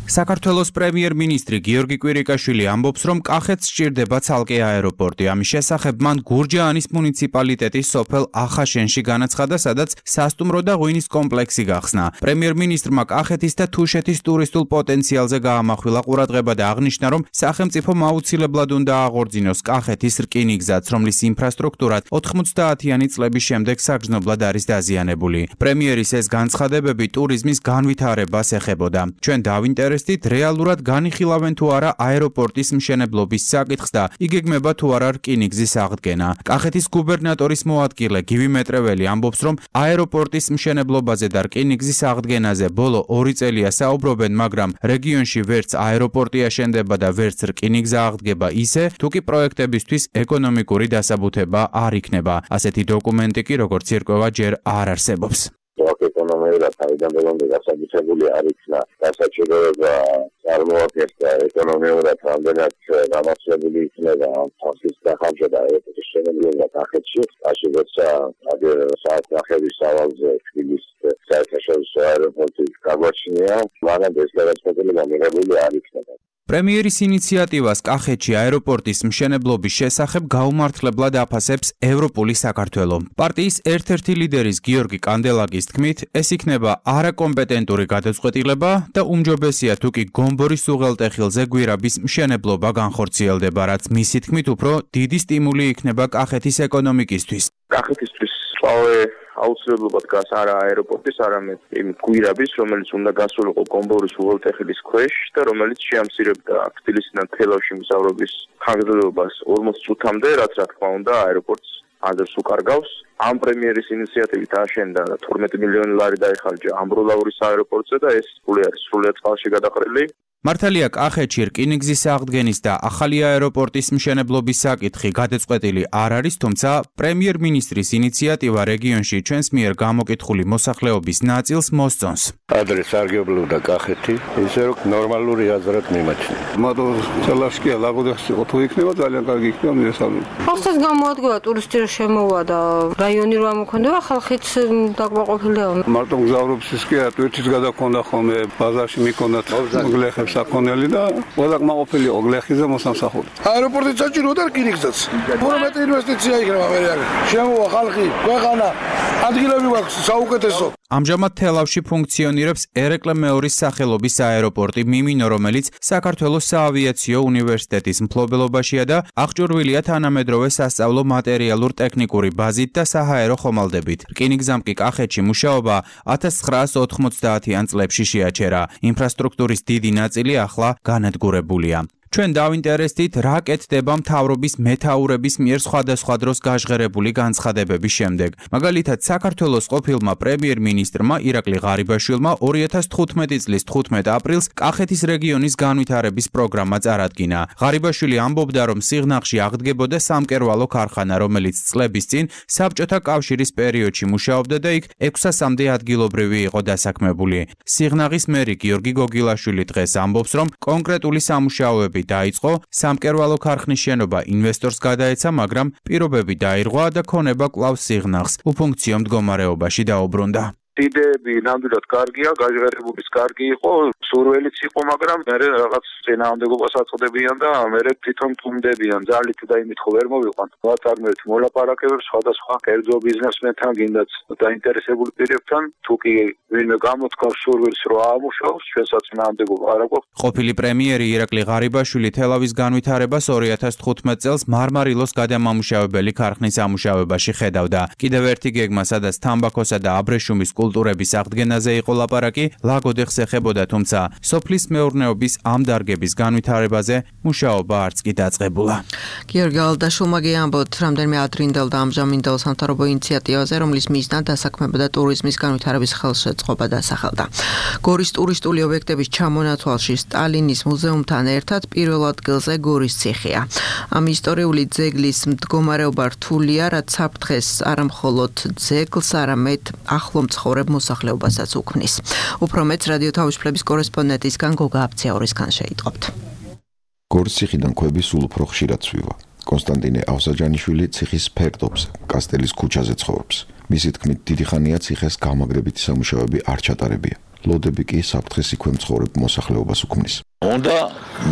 საქართველოს პრემიერ-მინისტრი გიორგი კვირიკაშვილი ამბობს, რომ კახეთს სჭირდება ცალკე აეროპორტი. ამის შესახებ მან გურჯაანის მუნიციპალიტეტის სოფელ ახაშენში განაცხადა, სადაც სასტუმრო და ღვინის კომპლექსი გახსნა. პრემიერ-მინისტრმა კახეთის და თუშეთის ტურისტულ პოტენციალზე გაამახვილა ყურადღება და აღნიშნა, რომ სახელმწიფომ აუცილებლად უნდა აღორძინოს კახეთის რკინიგზაც, რომლის ინფრასტრუქტურა 90-იანი წლების შემდეგ საგრძნობლად არის დაზიანებული. პრემიერის ეს განცხადებები ტურიზმის განვითარებას ეხებოდა. ჩვენ დავინტერესდით რეალურად განიხილავენ თუ არა აეროპორტის მშენებლობის საკითხს და იგეგმება თუ არა რკინიგზის აღდგენა. კახეთის გუბერნატორის მოადგილე გივი მეტრეველი ამბობს, რომ აეროპორტის მშენებლობაზე და რკინიგზის აღდგენაზე ბოლო 2 წელია საუბრობენ, მაგრამ რეგიონში ვერც აეროპორტი აშენდება და ვერც რკინიგზა აღდგება ისე, თუ კი პროექტებისთვის ეკონომიკური დასაბუთება არ იქნება. ასეთი დოკუმენტი კი როგორც ირკვევა ჯერ არ არსებობს. ეკონომიურად თავიდან ბოლომდე დასაბუთებული არ იქნა დასაჭიროება წარმოადგენს და ეკონომიურად რამდენად გამართლებული იქნება ფასის დახამშა და ეპოქის შენებლობა კახეთში. მაშინ როცა საათნახევის სავალზე თბილისის საერთაშორისო აეროპორტი გაგვაჩნია, მანამდე ეს გადაწყვეტილება მიღებული არ იქნება. პრემიერის ინიციატივას კახეთში აეროპორტის მშენებლობის შესახებ გაუმართლებლად აფასებს ევროპული საქართველო. პარტიის ერთ-ერთი ლიდერის გიორგი კანდელაკის თქმით, ეს იქნება არაკომპეტენტური გადაწყვეტილება და უმჯობესია თუ კი გომბორის უღელტეხილზე გვირაბის მშენებლობა განხორციელდება, რაც მისი თქმით უფრო დიდი სტიმული იქნება კახეთის ეკონომიკისთვის. კახეთისთვის აუცილებლად დგას არა აეროპორტის, არამედ იმ გვირაბის, რომელიც უნდა გასულიყო გომბორის უღელტეხილის ქვეშ და რომელიც შეამცირებდა თბილისიდან თელავში მგზავრობის ხანგრძლივობას 40 წუთამდე, რაც რა თქმა უნდა აეროპორტს აზერს უკარგავს. ამ პრემიერის ინიციატივით აშენდა 12 მილიონი ლარი დაიხარჯა ამბროლაურის აეროპორტზე და ეს ფული არის სრულიად წყალში გადაყრილი. მართალია კახეთში რკინიგზის აღდგენის და ახალი აეროპორტის მშენებლობის საკითხი გადაწყვეტილი არ არის, თუმცა პრემიერ-მინისტრის ინიციატივა რეგიონში ჩვენს მიერ გამოკითხული მოსახლეობის ნაწილს მოსწონს. ადრე სარგებლობდა კახეთი, ისე რომ ნორმალური აზრად მიმაჩნია. მადლობა ძალაშკია ლაგოდას იყო თუ იქნება ძალიან კარგი იქნება მიესალმები. ხალხს გამოადგება ტურისტი რომ შემოვა და რაიონი რომ ამოქონდება, ხალხიც დაკმაყოფილდება. მარტო მგზავრობის კი არა, ერთის გადაქონდა ხოლმე ბაზარში მიქონდათ გლეხებს საკონელი და ყველა კმაყოფილი იყო გლეხიზე მოსამსახური. აეროპორტი საჭიროა და რკინიგზაც. პრომეტი ინვესტიცია იქნება მე რა. შემოვა ხალხი, ქვეყანა, ადგილები გვაქვს საუკეთესო. ამჟამად თელავში ფუნქციონირებს ერეკლე მეორის სახელობის აეროპორტი მიმინო, რომელიც საქართველოს საავიაციო უნივერსიტეტის მფლობელობაშია და აღჭურვილია თანამედროვე სასწავლო მატერიალურ-ტექნიკური ბაზით და საჰაერო ხომალდებით. რკინიგზამ კი კახეთში მუშაობა 1990-იან წლებში შეაჩერა. ინფრასტრუქტურის დიდი ნაწილი ახლა განადგურებულია. ჩვენ დავინტერესდით, რა კეთდება მთავრობის მეთაურების მიერ სხვადასხვა დროს გაჟღერებული განცხადებების შემდეგ. მაგალითად, საქართველოს ყოფილმა პრემიერ-მინისტრმა ირაკლი ღარიბაშვილმა 2015 წლის 15 აპრილს კახეთის რეგიონის განვითარების პროგრამა წარადგინა. ღარიბაშვილი ამბობდა, რომ სიღნაღში აღდგებოდა სამკერვალო ქარხანა, რომელიც წლების წინ საბჭოთა კავშირის პერიოდში მუშაობდა და იქ 600-მდე ადგილობრივი იყო დასაქმებული. სიღნაღის მერი გიორგი გოგილაშვილი დღეს ამბობს, რომ კონკრეტული სამუშაოები დაიწყო, სამკერვალო ქარხნის შენობა ინვესტორს გადაეცა, მაგრამ პირობები დაირღვა და ქონება კვლავ სიღნაღს უფუნქციო მდგომარეობაში დაუბრუნდა. იდეები ნამდვილად კარგია, გაჟღერებულის კარგი იყო, სურველიც იყო, მაგრამ მე რაღაც წინააღმდეგობას აწყდებიან და მე თვითონ თუმდებიან, ძალით და იმით ხო ვერ მოვიყვანთ. ვაწარმოებთ მოლაპარაკებებს სხვადასხვა კერძო ბიზნესმენთან, გინდაც დაინტერესებული პირებთან, თუ კი ვინმე გამოთქვამს სურვილს რომ აამუშავოს, ჩვენსაც წინააღმდეგობა არ აქვს. ყოფილი პრემიერი ირაკლი ღარიბაშვილი თელავის განვითარებას 2015 წელს მარმარილოს გადამამუშავებელი ქარხნის ამუშავებაში ხედავდა. კიდევ ერთი გეგმა, სადაც თამბაქოსა და აბრეშუმის კულტურების აღდგენაზე იყო ლაპარაკი, ლაგოდეხს ეხებოდა, თუმცა სოფლის მეურნეობის ამ დარგების განვითარებაზე მუშაობა არც კი დაწყებულა. გიორგი ალდაშვილმა გიამბოთ, რამდენიმე ადრინდელ და ამჟამინდელ სამთავრობო ინიციატივაზე, რომლის მიზნად დასაქმება და ტურიზმის განვითარების ხელშეწყობა დასახელდა. გორის ტურისტული ობიექტების ჩამონათვალში სტალინის მუზეუმთან ერთად პირველ ადგილზე გორის ციხეა. ამ ისტორიული ძეგლის მდგომარეობა რთულია, რაც საფრთხეს არა მხოლოდ ძეგლს, არამედ ახლო მცხოვრებ მოსახლეობასაც უქმნის. უფრო მეტს რადიო თავისუფლების კორესპონდენტისგან გოგა აბციაურისგან შეიტყობთ. გორის ციხიდან ქვები სულ უფრო ხშირად ცვივა. კონსტანტინე ავსაჯანიშვილი ციხის ფერდობზე, კასტელის ქუჩაზე ცხოვრობს. მისი თქმით, დიდი ხანია ციხეს გამაგრებითი სამუშაოები არ ჩატარებია. ლოდები კი საფრთხეს იქვე მცხოვრებ მოსახლეობას უქმნის. უნდა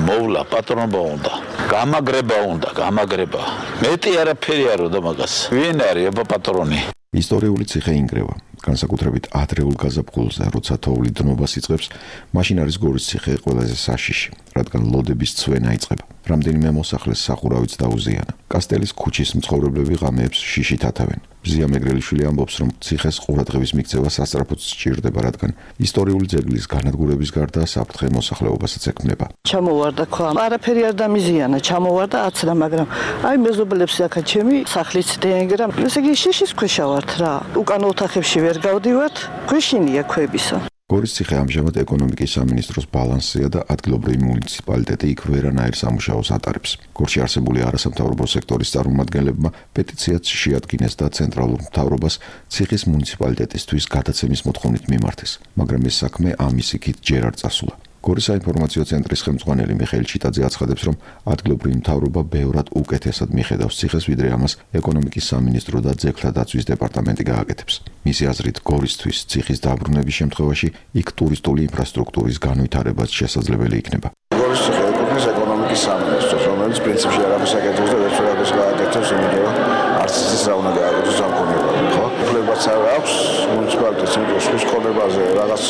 მოვლა პატრონობა უნდა. გამაგრება. მეტი არაფერი არ უნდა მაგას. ვინ არის აბა პატრონი? ისტორიული ციხე ინგრევა. განსაკუთრებით ადრეულ გაზაფხულზე, როცა თოვლი დნობას იწყებს, მაშინ არის გორის ციხე ყველაზე საშიში, რადგან ლოდების ცვენა იწყება. რამდენიმე მოსახლეს სახურავიც დაუზიანა. კასტელის ქუჩის მცხოვრებლები ღამეებს შიშით ათავენ. ბზია მეგრელიშვილი ამბობს, რომ ციხეს ყურადღების მიქცევა სასწრაფოდ სჭირდება, რადგან ისტორიული ძეგლის განადგურების გარდა საფრთხე მოსახლეობასაც ექმნება. ჩამოვარდა ქვა. არაფერი არ დამიზიანა, ჩამოვარდა აცრა, მაგრამ აი მეზობლებს აქა ჩემი სახლიც დეენგრა. ესე იგი შიშის ქვეშა ვართ რა. უკან ოთახებში ვერ გავდივართ, ქვეშინია ქვებისა. გორის ციხე ამჟამად ეკონომიკის სამინისტროს ბალანსია და ადგილობრივი მუნიციპალიტეტი იქ ვერანაირ სამუშაოს ატარებს. გორში არსებული არასამთავრობო სექტორის წარმომადგენლებმა პეტიციაც შეადგინეს და ცენტრალურ მთავრობას ციხის მუნიციპალიტეტისთვის გადაცემის მოთხოვნით მიმართეს, მაგრამ ეს საქმე ამის იქით ჯერ არ წასულა. გორის საინფორმაციო ცენტრის ხელმძღვანელი მიხეილ ჩიტაძე აცხადებს, რომ ადგილობრივი მთავრობა ბევრად უკეთესად მიხედავს ციხეს, ვიდრე ამას ეკონომიკის სამინისტრო და ძეგლთა დაცვის დეპარტამენტი გააკეთებს. მისი აზრით, გორისთვის ციხის დაბრუნების შემთხვევაში იქ ტურისტული ინფრასტრუქტურის განვითარებაც შესაძლებელი იქნება. გორის ციხე ეკუთვნის ეკონომიკის სამინისტროს, რომელიც პრინციპში არაფერს აკეთებს და ვერც ვერაფერს გააკეთებს, იმიტომ რომ არც ის რა უნდა გააკეთოს ამ კონკრეტულად, ხო? უფლებაც არ აქვს მუნიციპალიტეტს, იმიტომ რომ სხვის ხონებაზე რაღაც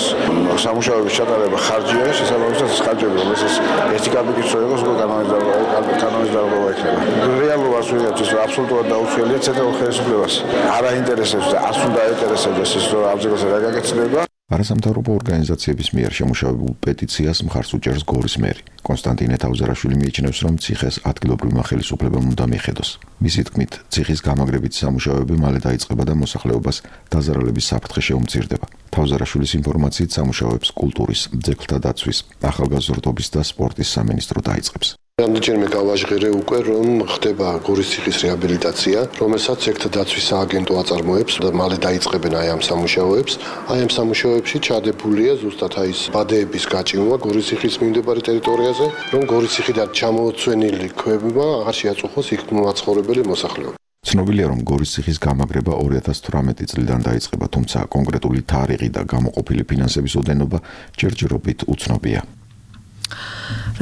სამუშაოების ჩატარება ხარჯია, შესაბამისად ეს ხარჯები, რომელსაც ერთი კაპიტი წოება, უკვე კანონიზდარობა იქნება. რეალობას ვიღებთ ის აბსოლუტურად დაუცველია ცენტრალურ ხელისუფლებას. არ აინტერესებს და არც უნდა აინტერესებდეს ის რომ ამ ძეგლზე რა გაკეთდება. არასამთავრობო ორგანიზაციების მიერ შემუშავებულ პეტიციას მხარს უჭერს გორის მერი. კონსტანტინე თავზარაშვილი მიიჩნევს, რომ ციხეს ადგილობრივმა ხელისუფლებამ უნდა მიხედოს. მისი თქმით, ციხის გამაგრებითი სამუშაოები მალე დაიწყება და მოსახლეობას დაზარალების საფრთხე შეუმცირდება. თავზარაშვილის ინფორმაციით სამუშაოებს კულტურის, ძეგლთა დაცვის, ახალგაზრდობის და სპორტის სამინისტრო დაიწყებს. რამდენჯერმე გავაჟღერე უკვე, რომ ხდება გორის ციხის რეაბილიტაცია, რომელსაც ძეგლთა დაცვის სააგენტო აწარმოებს და მალე დაიწყებენ აი ამ სამუშაოებს. აი ამ სამუშაოებში ჩადებულია ზუსტად აი ეს ბადეების გაჭიმვა გორის ციხის მიმდებარე ტერიტორიაზე, რომ გორის ციხიდან ჩამოწვენილი ქვებმა აღარ შეაწუხოს იქ მაცხოვრებელი მოსახლეობა. ცნობილია, რომ გორის ციხის გამაგრება 2018 წლიდან დაიწყება, თუმცა კონკრეტული თარიღი და გამოყოფილი ფინანსების ოდენობა ჯერჯერობით უცნობია.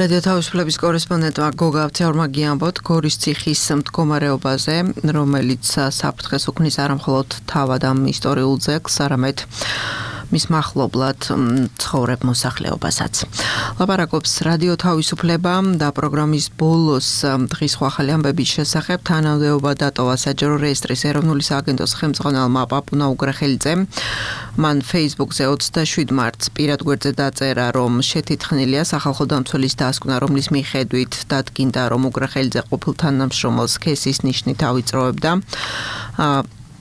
რადიო თავისუფლების კორესპონდენტმა გოგა აბციაურმა გიამბოთ გორის ციხის მდგომარეობაზე, რომელიც საფრთხეს უქმნის არა მხოლოდ თავად ამ ისტორიულ ძეგლს, არამედ მის მახლობლად ცხოვრებ მოსახლეობასაც. ლაპარაკობს რადიო თავისუფლება და პროგრამის ბოლოს დღის ახალი ამბების შესახებ თანამდებობა დატოვა საჯარო რეესტრის ეროვნული სააგენტოს ხელმძღვანელმა პაპუნა უგრეხელიძემ. მან Facebook-ზე 27 მარტს პირად გვერდზე დაწერა, რომ შეთითხნილია სახალხო დამცველის დასკვნა, რომლის მიხედვით დადგინდა, რომ უგრეხელიძე ყოფილ თანამშრომელს სქესის ნიშნით ავიწროებდა.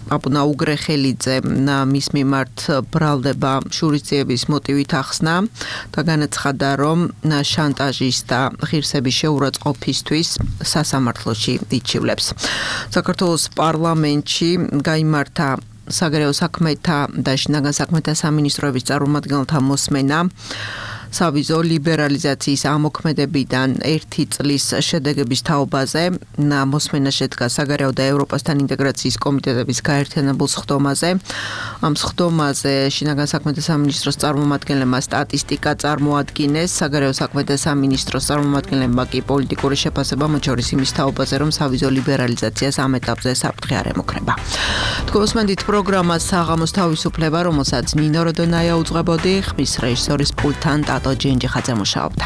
პაპუნა უგრეხელიძე მის მიმართ ბრალდება შურისძიების მოტივით ახსნა და განაცხადა, რომ შანტაჟის და ღირსების შეურაცხყოფისთვის სასამართლოში იჩივლებს. საქართველოს პარლამენტში გაიმართა საგარეო საქმეთა და შინაგან საქმეთა სამინისტროების წარმომადგენელთა მოსმენა სავიზო ლიბერალიზაციის ამოქმედებიდან 1 წლის შედეგების თაობაზე. მოსმენა შედგა საგარეო და ევროპასთან ინტეგრაციის კომიტეტების გაერთიანებულ სხდომაზე. ამ სხდომაზე შინაგან საქმეთა სამინისტროს წარმომადგენლებმა სტატისტიკა წარმოადგინეს, საგარეო საქმეთა სამინისტროს წარმომადგენლებმა კი პოლიტიკური შეფასება, მათ შორის იმის თაობაზე, რომ სავიზო ლიბერალიზაციას ამ ეტაპზე საფრთხე არ ემუქრება. თქვენსმენდით პროგრამას საღამოს თავისუფლება, რომელსაც ნინო როდონაია უძღვებოდი, ხმის რეჟისორის პულტთან ტატო ჯენჯიხაძე მუშაობდა.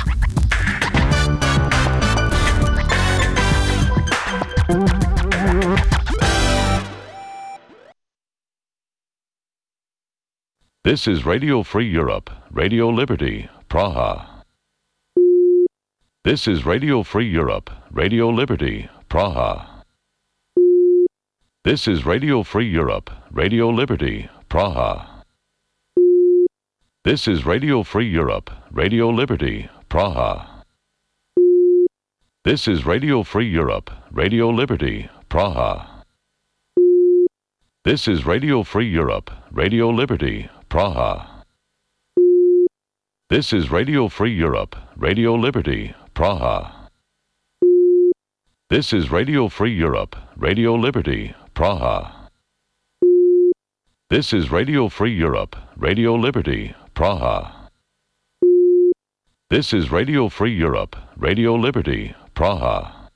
This is Radio Free Europe, Radio Liberty, Praha. This is Radio Free Europe, Radio Liberty, Praha. This is Radio Free Europe, Radio Liberty, Praha. This is Radio Free Europe, Radio Liberty, Praha. This is Radio Free Europe, Radio Liberty, Praha. This is Radio Free Europe, Radio Liberty, Praha. This is Radio Free Europe, Radio Liberty, Praha. This is Radio Free Europe, Radio Liberty, Praha. This is Radio Free Europe, Radio Liberty, Praha. This is Radio Free Europe, Radio Liberty, Praha.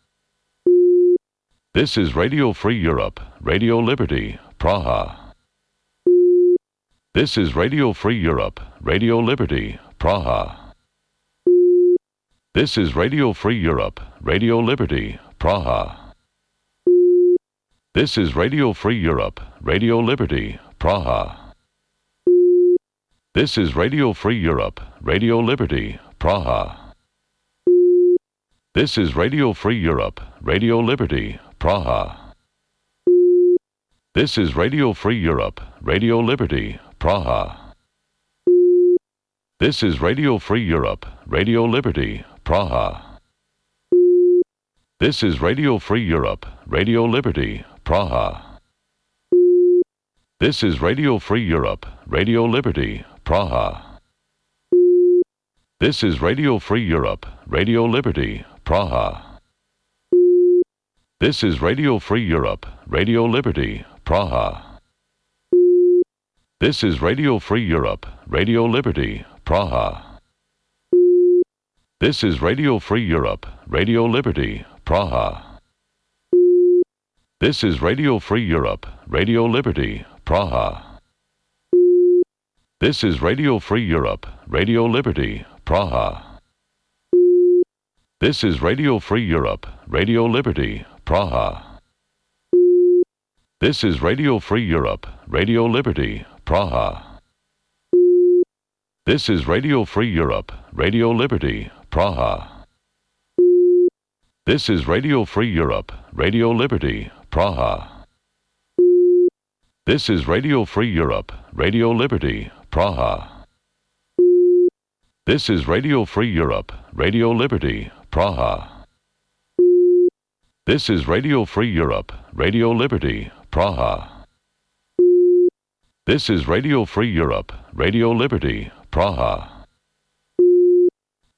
This is Radio Free Europe, Radio Liberty, Praha. This is Radio Free Europe, Radio Liberty, Praha. This is Radio Free Europe, Radio Liberty, Praha. This is Radio Free Europe, Radio Liberty, Praha. This is Radio Free Europe, Radio Liberty, Praha. This is Radio Free Europe, Radio Liberty, Praha. This is Radio Free Europe, Radio Liberty, Praha. This is Radio Free Europe, Radio Liberty, Praha. This is Radio Free Europe, Radio Liberty, Praha. This is Radio Free Europe, Radio Liberty, Praha. This is Radio Free Europe, Radio Liberty, Praha. This is Radio Free Europe, Radio Liberty, Praha. This is Radio Free Europe, Radio Liberty, Praha. This is Radio Free Europe, Radio Liberty, Praha. This is Radio Free Europe, Radio Liberty, Praha. This is Radio Free Europe, Radio Liberty, Praha. This is Radio Free Europe, Radio Liberty, Praha. This is Radio Free Europe, Radio Liberty, Praha. This is Radio Free Europe, Radio Liberty, Praha. This is Radio Free Europe, Radio Liberty, Praha. This is Radio Free Europe, Radio Liberty, Praha. This is Radio Free Europe, Radio Liberty, Praha. This is Radio Free Europe, Radio Liberty, Praha. This is Radio Free Europe, Radio Liberty, Praha.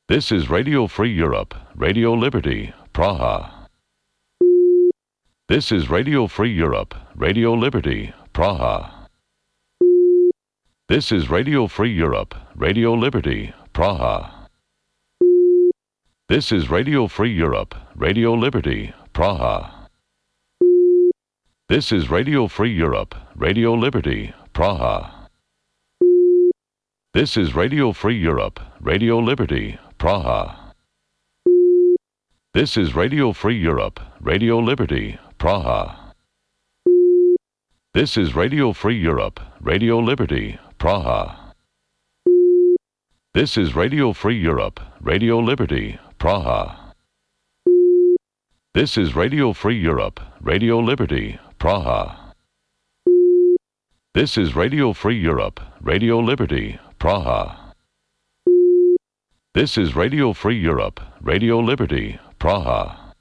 This is Radio Free Europe, Radio Liberty, Praha. This is Radio Free Europe, Radio Liberty, Praha. This is Radio Free Europe, Radio Liberty, Praha. This is Radio Free Europe, Radio Liberty, Praha. This is Radio Free Europe, Radio Liberty, Praha. This is Radio Free Europe, Radio Liberty, Praha. This is Radio Free Europe, Radio Liberty, Praha. This is Radio Free Europe, Radio Liberty, Praha. This is Radio Free Europe, Radio Liberty, Praha. This is Radio Free Europe, Radio Liberty, Praha. This is Radio Free Europe, Radio Liberty, Praha. This is Radio Free Europe, Radio Liberty, Praha.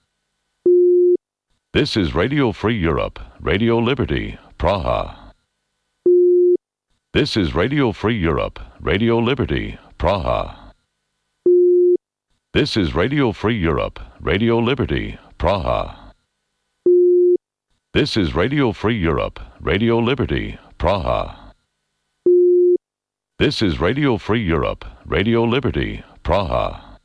This is Radio Free Europe, Radio Liberty, Praha. This is Radio Free Europe, Radio Liberty, Praha. This is Radio Free Europe, Radio Liberty, Praha. This is Radio Free Europe, Radio Liberty, Praha. This is Radio Free Europe, Radio Liberty, Praha.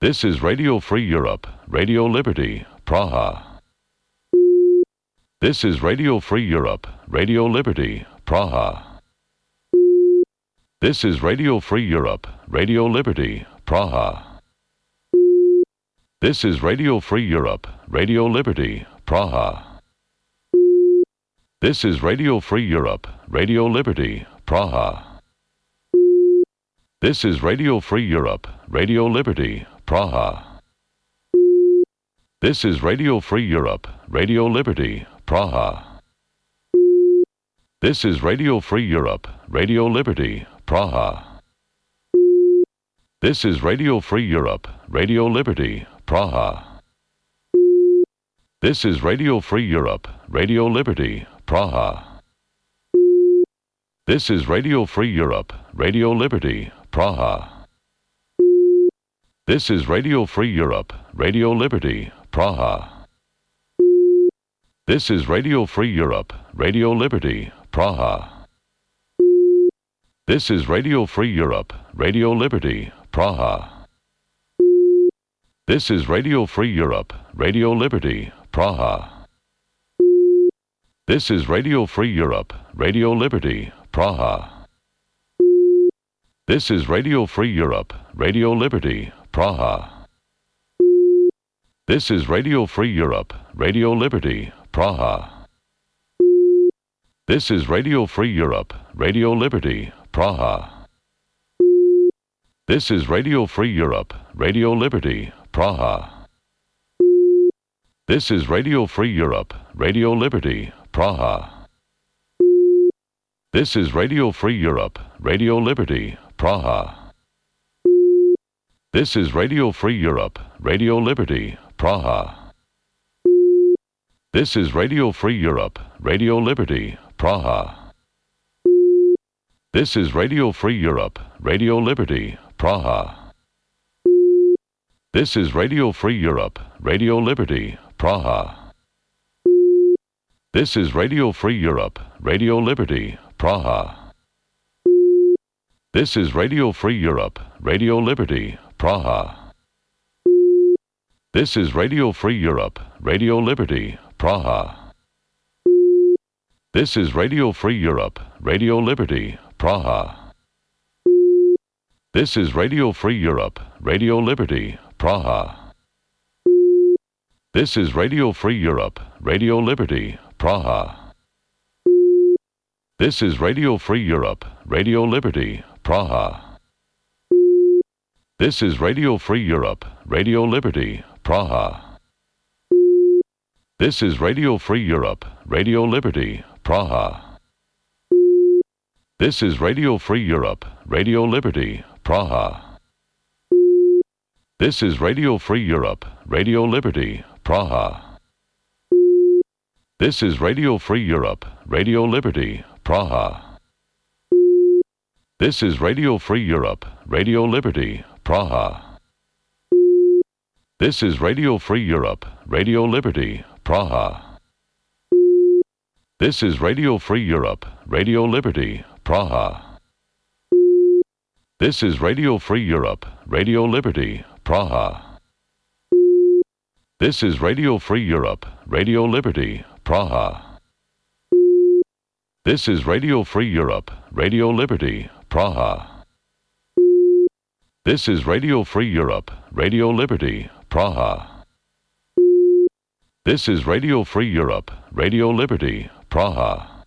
This is Radio Free Europe, Radio Liberty, Praha. This is Radio Free Europe, Radio Liberty, Praha. This is Radio Free Europe, Radio Liberty, Praha. This is Radio Free Europe, Radio Liberty, Praha. This is Radio Free Europe, Radio Liberty, Praha. This is Radio Free Europe, Radio Liberty, Praha. This is Radio Free Europe, Radio Liberty, Praha. This is Radio Free Europe, Radio Liberty, Praha. This is Radio Free Europe, Radio Liberty, Praha. This is Radio Free Europe, Radio Liberty, Praha. This is Radio Free Europe, Radio Liberty, Praha. This is Radio Free Europe, Radio Liberty, Praha. This is Radio Free Europe, Radio Liberty, Praha. This is Radio Free Europe, Radio Liberty, Praha. This is Radio Free Europe, Radio Liberty, Praha. This is Radio Free Europe, Radio Liberty, Praha. This is Radio Free Europe, Radio Liberty, Praha. This is Radio Free Europe, Radio Liberty, Praha. This is Radio Free Europe, Radio Liberty, Praha. This is Radio Free Europe, Radio Liberty, Praha. This is Radio Free Europe, Radio Liberty, Praha. This is Radio Free Europe, Radio Liberty, Praha. This is Radio Free Europe, Radio Liberty, Praha. This is Radio Free Europe, Radio Liberty, Praha. This is Radio Free Europe, Radio Liberty, Praha. This is Radio Free Europe, Radio Liberty, Praha. This is Radio Free Europe, Radio Liberty, Praha. This is Radio Free Europe, Radio Liberty, Praha. This is Radio Free Europe, Radio Liberty, Praha. This is Radio Free Europe, Radio Liberty, Praha. This is Radio Free Europe, Radio Liberty, Praha. This is Radio Free Europe, Radio Liberty, Praha. This is Radio Free Europe, Radio Liberty, Praha. This is Radio Free Europe, Radio Liberty, Praha. This is Radio Free Europe, Radio Liberty, Praha. This is Radio Free Europe, Radio Liberty, Praha. This is Radio Free Europe, Radio Liberty, Praha. This is Radio Free Europe, Radio Liberty, Praha. This is Radio Free Europe, Radio Liberty, Praha. This is Radio Free Europe, Radio Liberty, Praha. This is Radio Free Europe, Radio Liberty, Praha. This is Radio Free Europe, Radio Liberty, Praha. This is Radio Free Europe, Radio Liberty, Praha. This is Radio Free Europe, Radio Liberty, Praha. This is Radio Free Europe, Radio Liberty, Praha. This is Radio Free Europe, Radio Liberty, Praha.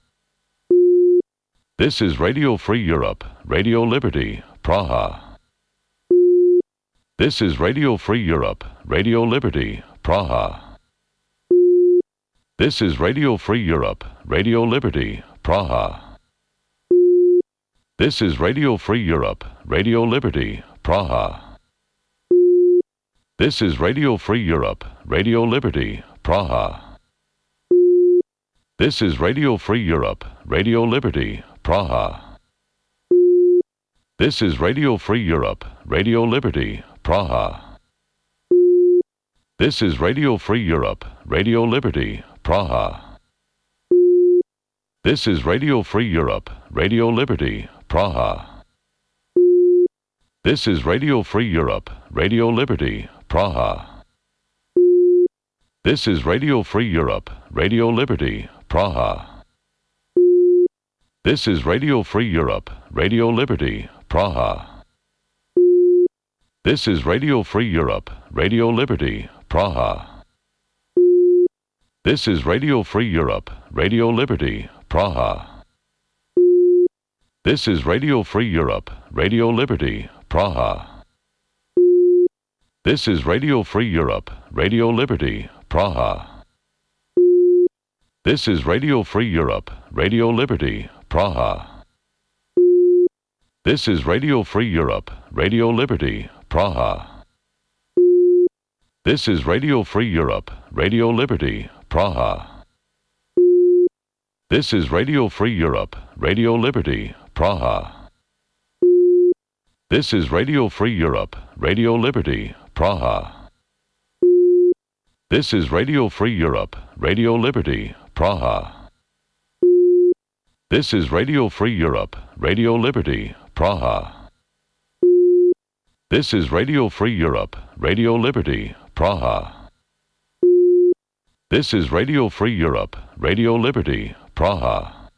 This is Radio Free Europe, Radio Liberty, Praha. This is Radio Free Europe, Radio Liberty, Praha. This is Radio Free Europe, Radio Liberty, Praha. This is Radio Free Europe, Radio Liberty, Praha. This is Radio Free Europe, Radio Liberty, Praha. This is Radio Free Europe, Radio Liberty, Praha. This is Radio Free Europe, Radio Liberty, Praha. This is Radio Free Europe, Radio Liberty, Praha. This is Radio Free Europe, Radio Liberty, Praha. This is Radio Free Europe, Radio Liberty, Praha. This is Radio Free Europe, Radio Liberty, Praha. This is Radio Free Europe, Radio Liberty, Praha. This is Radio Free Europe, Radio Liberty, Praha. This is Radio Free Europe, Radio Liberty, Praha. This is Radio Free Europe, Radio Liberty, Praha. This is Radio Free Europe, Radio Liberty, Praha. This is Radio Free Europe, Radio Liberty, Praha. This is Radio Free Europe, Radio Liberty, Praha. This is Radio Free Europe, Radio Liberty, Praha. This is Radio Free Europe, Radio Liberty, Praha. This is Radio Free Europe, Radio Liberty, Praha. This is Radio Free Europe, Radio Liberty, Praha. This is Radio Free Europe, Radio Liberty, Praha. This is Radio Free Europe, Radio Liberty, Praha. This is Radio Free Europe, Radio Liberty, Praha.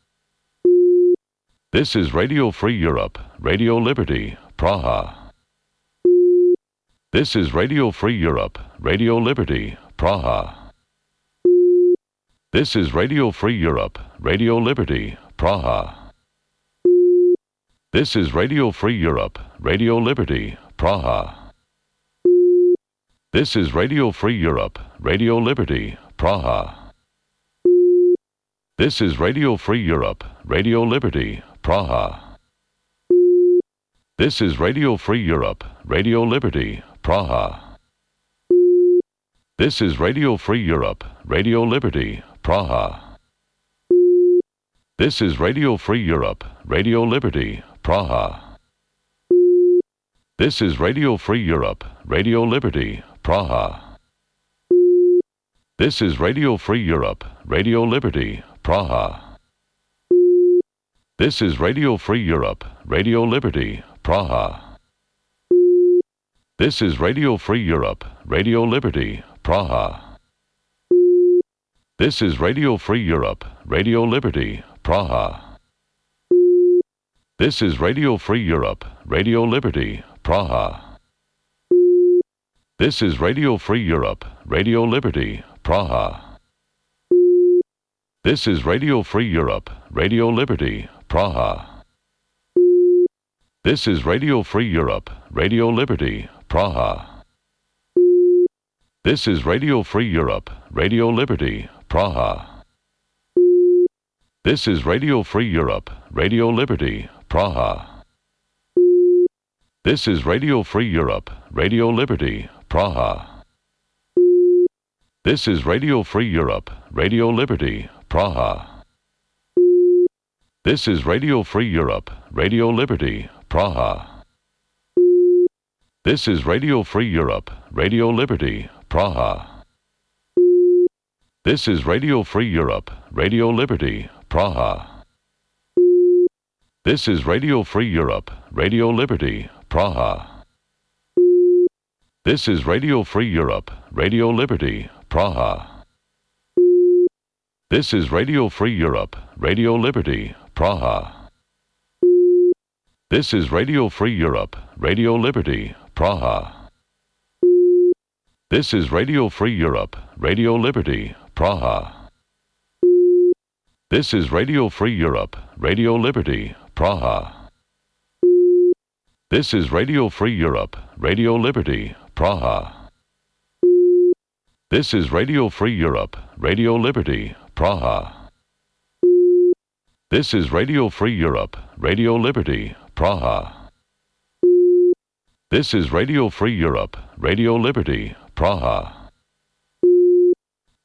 This is Radio Free Europe, Radio Liberty, Praha. This is Radio Free Europe, Radio Liberty, Praha. This is Radio Free Europe, Radio Liberty, Praha. This is Radio Free Europe, Radio Liberty, Praha. This is Radio Free Europe, Radio Liberty, Praha. This is Radio Free Europe, Radio Liberty, Praha. This is Radio Free Europe, Radio Liberty, Praha. This is Radio Free Europe, Radio Liberty, Praha. This is Radio Free Europe, Radio Liberty, Praha. This is Radio Free Europe, Radio Liberty, Praha. This is Radio Free Europe, Radio Liberty, Praha. This is Radio Free Europe, Radio Liberty, Praha. This is Radio Free Europe, Radio Liberty, Praha. This is Radio Free Europe, Radio Liberty, Praha. This is Radio Free Europe, Radio Liberty, Praha. This is Radio Free Europe, Radio Liberty, Praha. This is Radio Free Europe, Radio Liberty, Praha. This is Radio Free Europe, Radio Liberty, Praha. This is Radio Free Europe, Radio Liberty, Praha. This is Radio Free Europe, Radio Liberty, Praha. This is Radio Free Europe, Radio Liberty, Praha. This is Radio Free Europe, Radio Liberty, Praha. This is Radio Free Europe, Radio Liberty, Praha. This is Radio Free Europe, Radio Liberty, Praha. This is Radio Free Europe, Radio Liberty, Praha. This is Radio Free Europe, Radio Liberty, Praha. This is Radio Free Europe, Radio Liberty, Praha. This is Radio Free Europe, Radio Liberty, Praha. This is Radio Free Europe, Radio Liberty, Praha. This is Radio Free Europe, Radio Liberty, Praha. This is Radio Free Europe, Radio Liberty, Praha. This is Radio Free Europe, Radio Liberty, Praha. This is Radio Free Europe, Radio Liberty, Praha. This is Radio Free Europe, Radio Liberty, Praha. This is Radio Free Europe, Radio Liberty, Praha.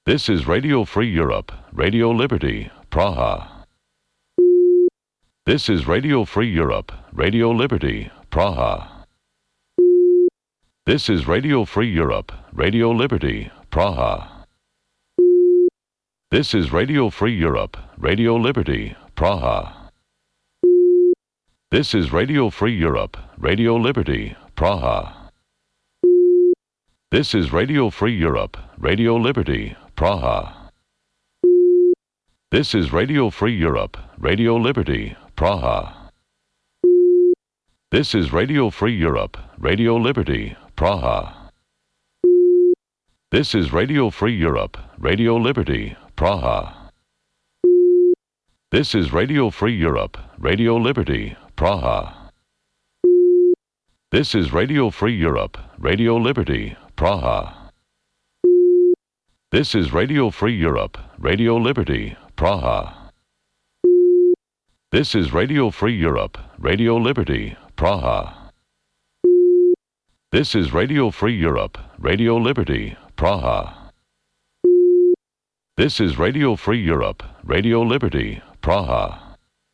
This is Radio Free Europe, Radio Liberty, Praha. This is Radio Free Europe, Radio Liberty, Praha. This is Radio Free Europe, Radio Liberty, Praha. This is Radio Free Europe, Radio Liberty, Praha. This is Radio Free Europe, Radio Liberty, Praha. This is Radio Free Europe, Radio Liberty, Praha. This is Radio Free Europe, Radio Liberty, Praha. This is Radio Free Europe, Radio Liberty, Praha. This is Radio Free Europe, Radio Liberty, Praha. This is Radio Free Europe, Radio Liberty, Praha. This is Radio Free Europe, Radio Liberty, Praha. This is Radio Free Europe, Radio Liberty, Praha. This is Radio Free Europe, Radio Liberty, Praha. This is Radio Free Europe, Radio Liberty, Praha. This is Radio Free Europe, Radio Liberty, Praha.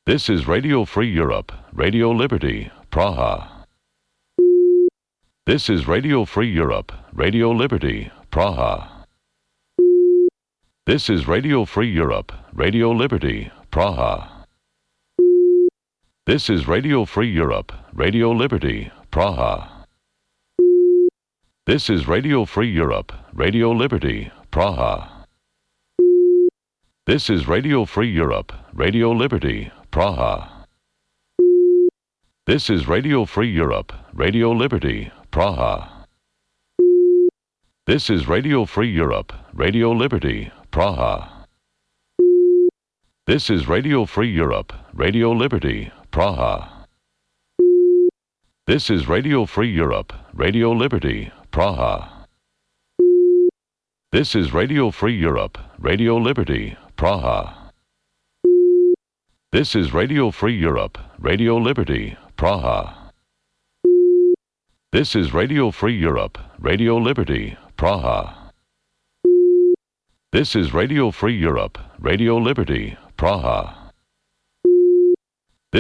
This is Radio Free Europe, Radio Liberty, Praha. This is Radio Free Europe, Radio Liberty, Praha. This is Radio Free Europe, Radio Liberty, Praha. This is Radio Free Europe, Radio Liberty, Praha. This is Radio Free Europe, Radio Liberty, Praha. This is Radio Free Europe, Radio Liberty, Praha. This is Radio Free Europe, Radio Liberty, Praha. This is Radio Free Europe, Radio Liberty, Praha. This is Radio Free Europe, Radio Liberty, Praha. This is Radio Free Europe, Radio Liberty, Praha. This is Radio Free Europe, Radio Liberty, Praha. This is Radio Free Europe, Radio Liberty, Praha. This is Radio Free Europe, Radio Liberty, Praha. This is Radio Free Europe, Radio Liberty, Praha.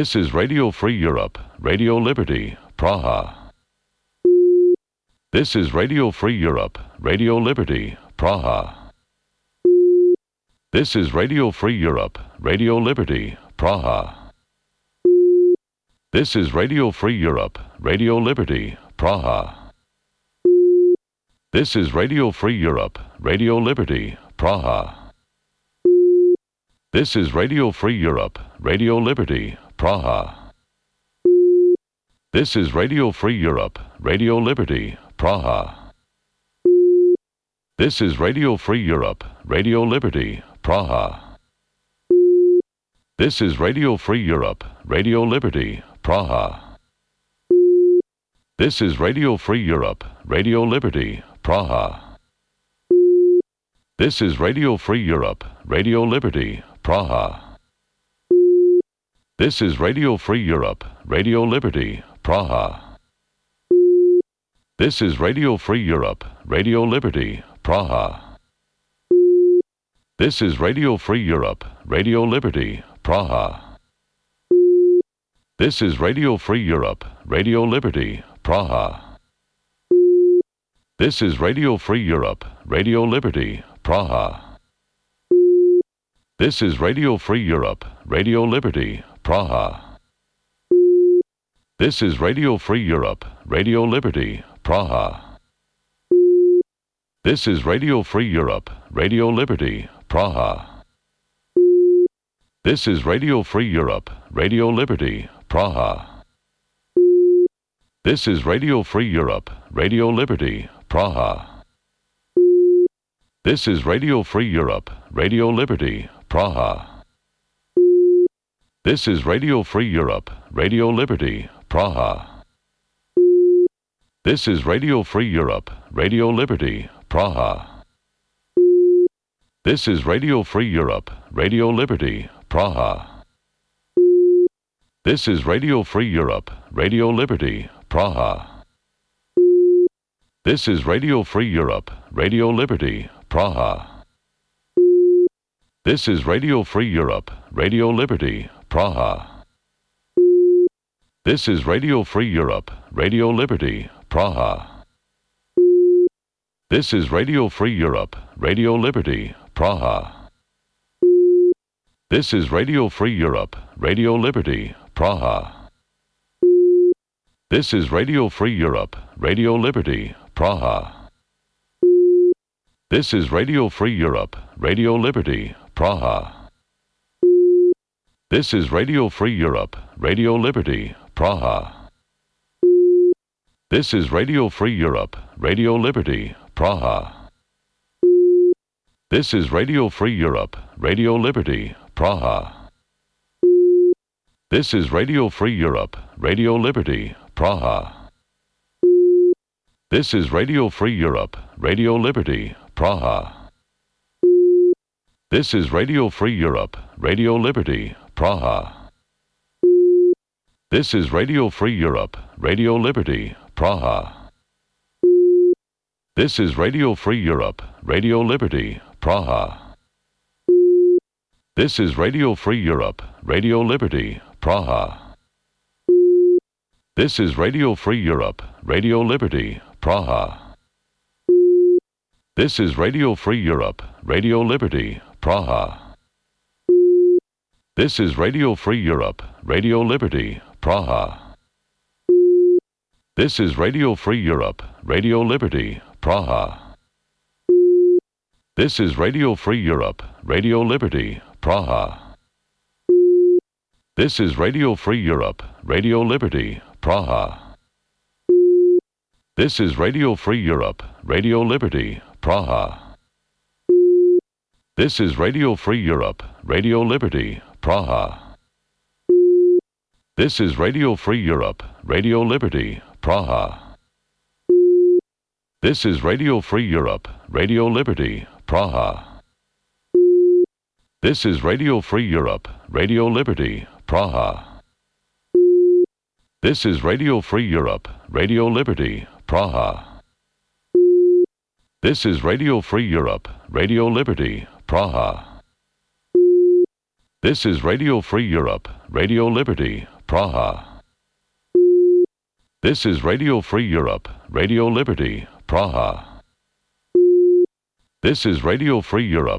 This is Radio Free Europe, Radio Liberty, Praha. This is Radio Free Europe, Radio Liberty, Praha. This is Radio Free Europe, Radio Liberty, Praha. This is Radio Free Europe, Radio Liberty, Praha. This is Radio Free Europe, Radio Liberty, Praha. This is Radio Free Europe, Radio Liberty, Praha. This is Radio Free Europe, Radio Liberty, Praha. This is Radio Free Europe, Radio Liberty, Praha. This is Radio Free Europe, Radio Liberty, Praha. This is Radio Free Europe, Radio Liberty, Praha. This is Radio Free Europe, Radio Liberty, Praha. This is Radio Free Europe, Radio Liberty, Praha. This is Radio Free Europe, Radio Liberty, Praha. This is Radio Free Europe, Radio Liberty, Praha. This is Radio Free Europe, Radio Liberty, Praha. This is Radio Free Europe, Radio Liberty, Praha. This is Radio Free Europe, Radio Liberty, Praha. This is Radio Free Europe, Radio Liberty, Praha. This is Radio Free Europe, Radio Liberty, Praha. This is Radio Free Europe, Radio Liberty, Praha. This is Radio Free Europe, Radio Liberty, Praha. This is Radio Free Europe, Radio Liberty, Praha. This is Radio Free Europe, Radio Liberty, Praha. This is Radio Free Europe, Radio Liberty, Praha. This is Radio Free Europe, Radio Liberty, Praha. This is Radio Free Europe, Radio Liberty, Praha. This is Radio Free Europe, Radio Liberty, Praha. This is Radio Free Europe, Radio Liberty, Praha. This is Radio Free Europe, Radio Liberty, Praha. This is Radio Free Europe, Radio Liberty, Praha. This is Radio Free Europe, Radio Liberty, Praha. This is Radio Free Europe, Radio Liberty, Praha. This is Radio Free Europe, Radio Liberty, Praha. This is Radio Free Europe, Radio Liberty, Praha. This is Radio Free Europe, Radio Liberty, Praha. This is Radio Free Europe, Radio Liberty, Praha. This is Radio Free Europe, Radio Liberty, Praha. This is Radio Free Europe, Radio Liberty, Praha. This is Radio Free Europe, Radio Liberty, Praha. This is Radio Free Europe, Radio Liberty, Praha. This is Radio Free Europe, Radio Liberty, Praha. This is Radio Free Europe, Radio Liberty, Praha. This is Radio Free Europe, Radio Liberty, Praha. This is Radio Free Europe, Radio Liberty, Praha. This is Radio Free Europe, Radio Liberty, Praha. This is Radio Free Europe, Radio Liberty, Praha. This is Radio Free Europe, Radio Liberty, Praha. This is Radio Free Europe, Radio Liberty, Praha. This is Radio Free Europe, Radio Liberty, Praha. This is Radio Free Europe, Radio Liberty, Praha. This is Radio Free Europe, Radio Liberty, Praha. This is Radio Free Europe, Radio Liberty, Praha. This is Radio Free Europe, Radio Liberty, Praha. This is Radio Free Europe, Radio Liberty, Praha. This is Radio Free Europe, Radio Liberty, Praha. This is Radio Free Europe, Radio Liberty, Praha. This is Radio Free Europe, Radio Liberty, Praha. This is Radio Free Europe, Radio Liberty, Praha. This is Radio Free Europe,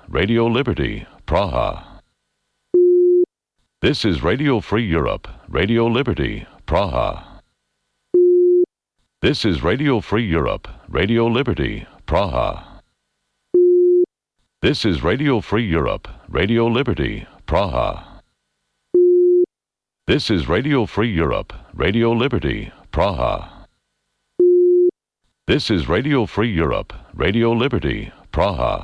Radio Liberty, Praha. This is Radio Free Europe, Radio Liberty, Praha. This is Radio Free Europe, Radio Liberty, Praha. This is Radio Free Europe, Radio Liberty, Praha. This is Radio Free Europe, Radio Liberty, Praha. This is Radio Free Europe, Radio Liberty, Praha.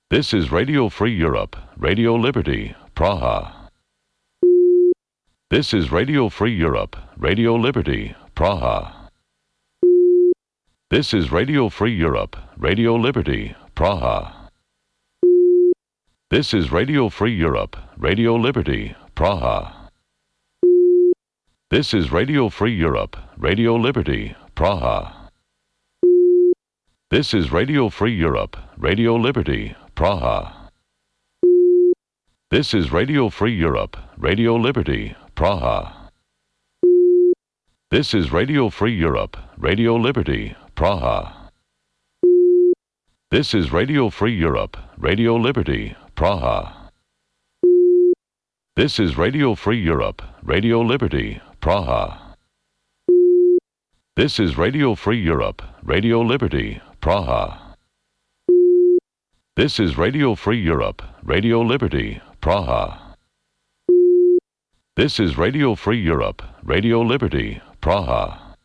This is Radio Free Europe, Radio Liberty, Praha. This is Radio Free Europe, Radio Liberty, Praha. This is Radio Free Europe, Radio Liberty, Praha. This is Radio Free Europe, Radio Liberty, Praha. This is Radio Free Europe, Radio Liberty, Praha. This is Radio Free Europe, Radio Liberty, Praha. This is Radio Free Europe, Radio Liberty, Praha. This is Radio Free Europe, Radio Liberty, Praha. This is Radio Free Europe, Radio Liberty, Praha. This is Radio Free Europe, Radio Liberty, Praha. This is Radio Free Europe, Radio Liberty, Praha. This is Radio Free Europe, Radio Liberty, Praha. This is Radio Free Europe, Radio Liberty, Praha.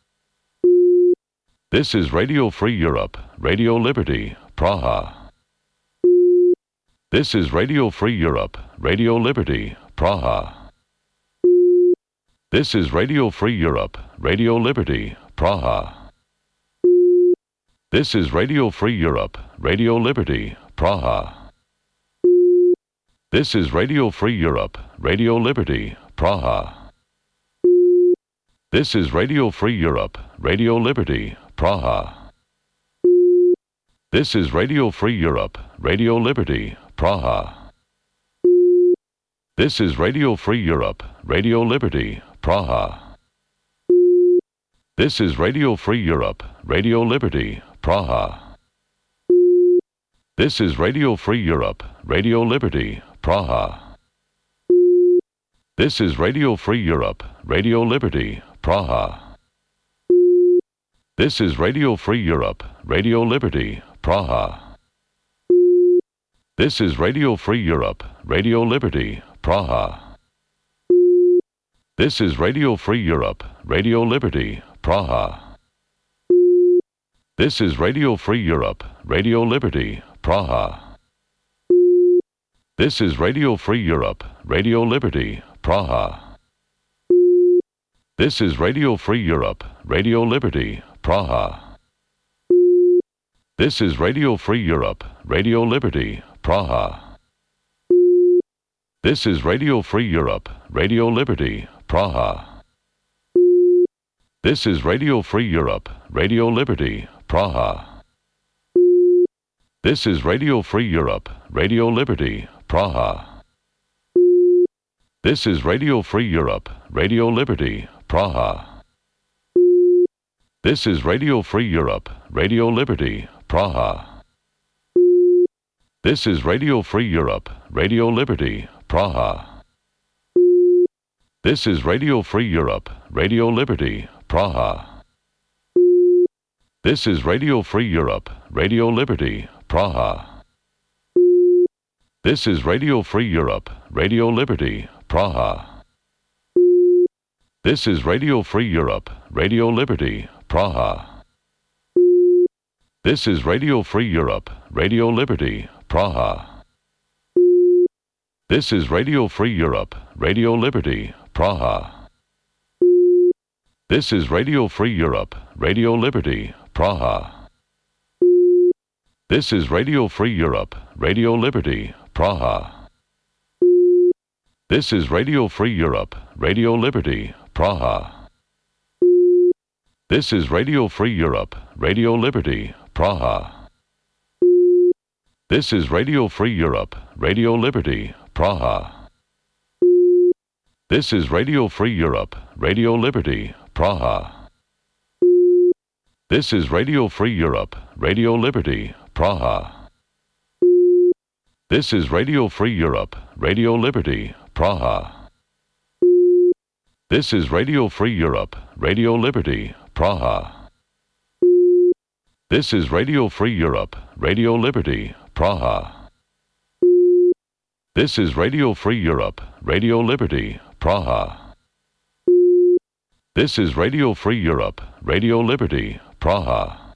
This is Radio Free Europe, Radio Liberty, Praha. This is Radio Free Europe, Radio Liberty, Praha. This is Radio Free Europe, Radio Liberty, Praha. This is Radio Free Europe, Radio Liberty, Praha. This is Radio Free Europe, Radio Liberty, Praha. This is Radio Free Europe, Radio Liberty, Praha. This is Radio Free Europe, Radio Liberty, Praha. This is Radio Free Europe, Radio Liberty, Praha. This is Radio Free Europe, Radio Liberty, Praha. This is Radio Free Europe, Radio Liberty, Praha. This is Radio Free Europe, Radio Liberty, Praha. This is Radio Free Europe, Radio Liberty, Praha. This is Radio Free Europe, Radio Liberty, Praha. This is Radio Free Europe, Radio Liberty, Praha. This is Radio Free Europe, Radio Liberty, Praha. This is Radio Free Europe, Radio Liberty, Praha. This is Radio Free Europe, Radio Liberty, Praha. This is Radio Free Europe, Radio Liberty, Praha. This is Radio Free Europe, Radio Liberty, Praha. This is Radio Free Europe, Radio Liberty, Praha. This is Radio Free Europe, Radio Liberty, Praha. This is Radio Free Europe, Radio Liberty, Praha. This is Radio Free Europe, Radio Liberty, Praha. This is Radio Free Europe, Radio Liberty, Praha. This is Radio Free Europe, Radio Liberty, Praha. This is Radio Free Europe, Radio Liberty, Praha. This is Radio Free Europe, Radio Liberty, Praha. This is Radio Free Europe, Radio Liberty, Praha. This is Radio Free Europe, Radio Liberty, Praha. This is Radio Free Europe, Radio Liberty, Praha. This is Radio Free Europe, Radio Liberty, Praha. This is Radio Free Europe, Radio Liberty, Praha. This is Radio Free Europe, Radio Liberty, Praha. This is Radio Free Europe, Radio Liberty, Praha. This is Radio Free Europe, Radio Liberty, Praha. This is Radio Free Europe, Radio Liberty, Praha. This is Radio Free Europe, Radio Liberty, Praha. This is Radio Free Europe, Radio Liberty, Praha. This is Radio Free Europe, Radio Liberty, Praha. This is Radio Free Europe, Radio Liberty, Praha. This is Radio Free Europe, Radio Liberty, Praha. This is Radio Free Europe, Radio Liberty, Praha.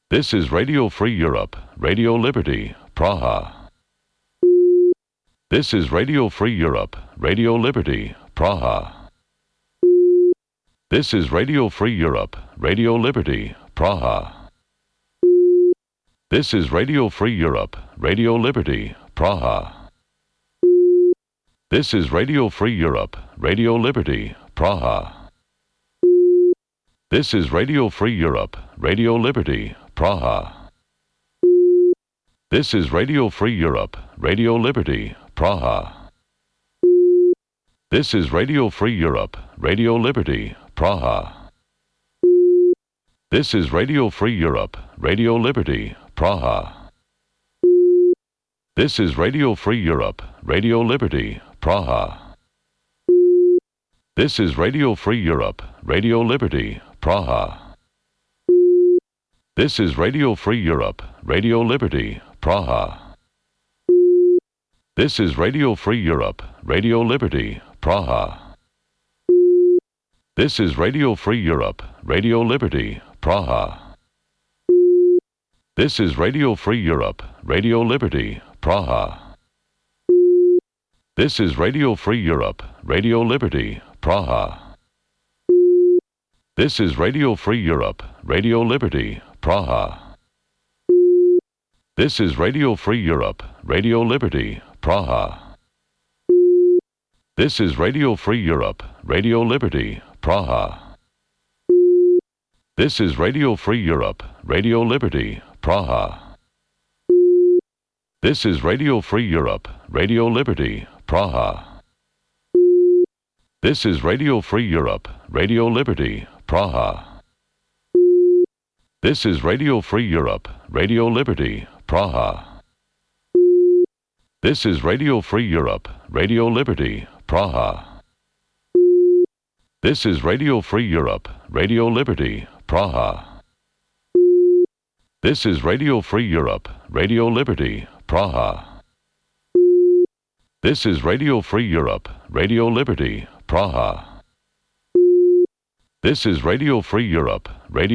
This is Radio Free Europe, Radio Liberty, Praha. This is Radio Free Europe, Radio Liberty, Praha. This is Radio Free Europe, Radio Liberty, Praha. This is Radio Free Europe, Radio Liberty, Praha. This is Radio Free Europe, Radio Liberty, Praha. This is Radio Free Europe, Radio Liberty, Praha. This is Radio Free Europe, Radio Liberty, Praha. This is Radio Free Europe, Radio Liberty, Praha. This is Radio Free Europe, Radio Liberty, Praha. This is Radio Free Europe, Radio Liberty, Praha. This is Radio Free Europe, Radio Liberty, Praha. This is Radio Free Europe, Radio Liberty, Praha. This is Radio Free Europe, Radio Liberty, Praha. This is Radio Free Europe, Radio Liberty, Praha. This is Radio Free Europe, Radio Liberty, Praha. This is Radio Free Europe, Radio Liberty, Praha. This is Radio Free Europe, Radio Liberty, Praha. This is Radio Free Europe, Radio Liberty, Praha. This is Radio Free Europe, Radio Liberty, Praha. This is Radio Free Europe, Radio Liberty, Praha. This is Radio Free Europe, Radio Liberty, Praha. This is Radio Free Europe, Radio Liberty, Praha. This is Radio Free Europe, Radio Liberty, Praha. This is Radio Free Europe, Radio Liberty, Praha. This is Radio Free Europe, Radio Liberty, Praha. This is Radio Free Europe, Radio Liberty, Praha. This is Radio Free Europe, Radio Liberty, Praha. This is Radio Free Europe, Radio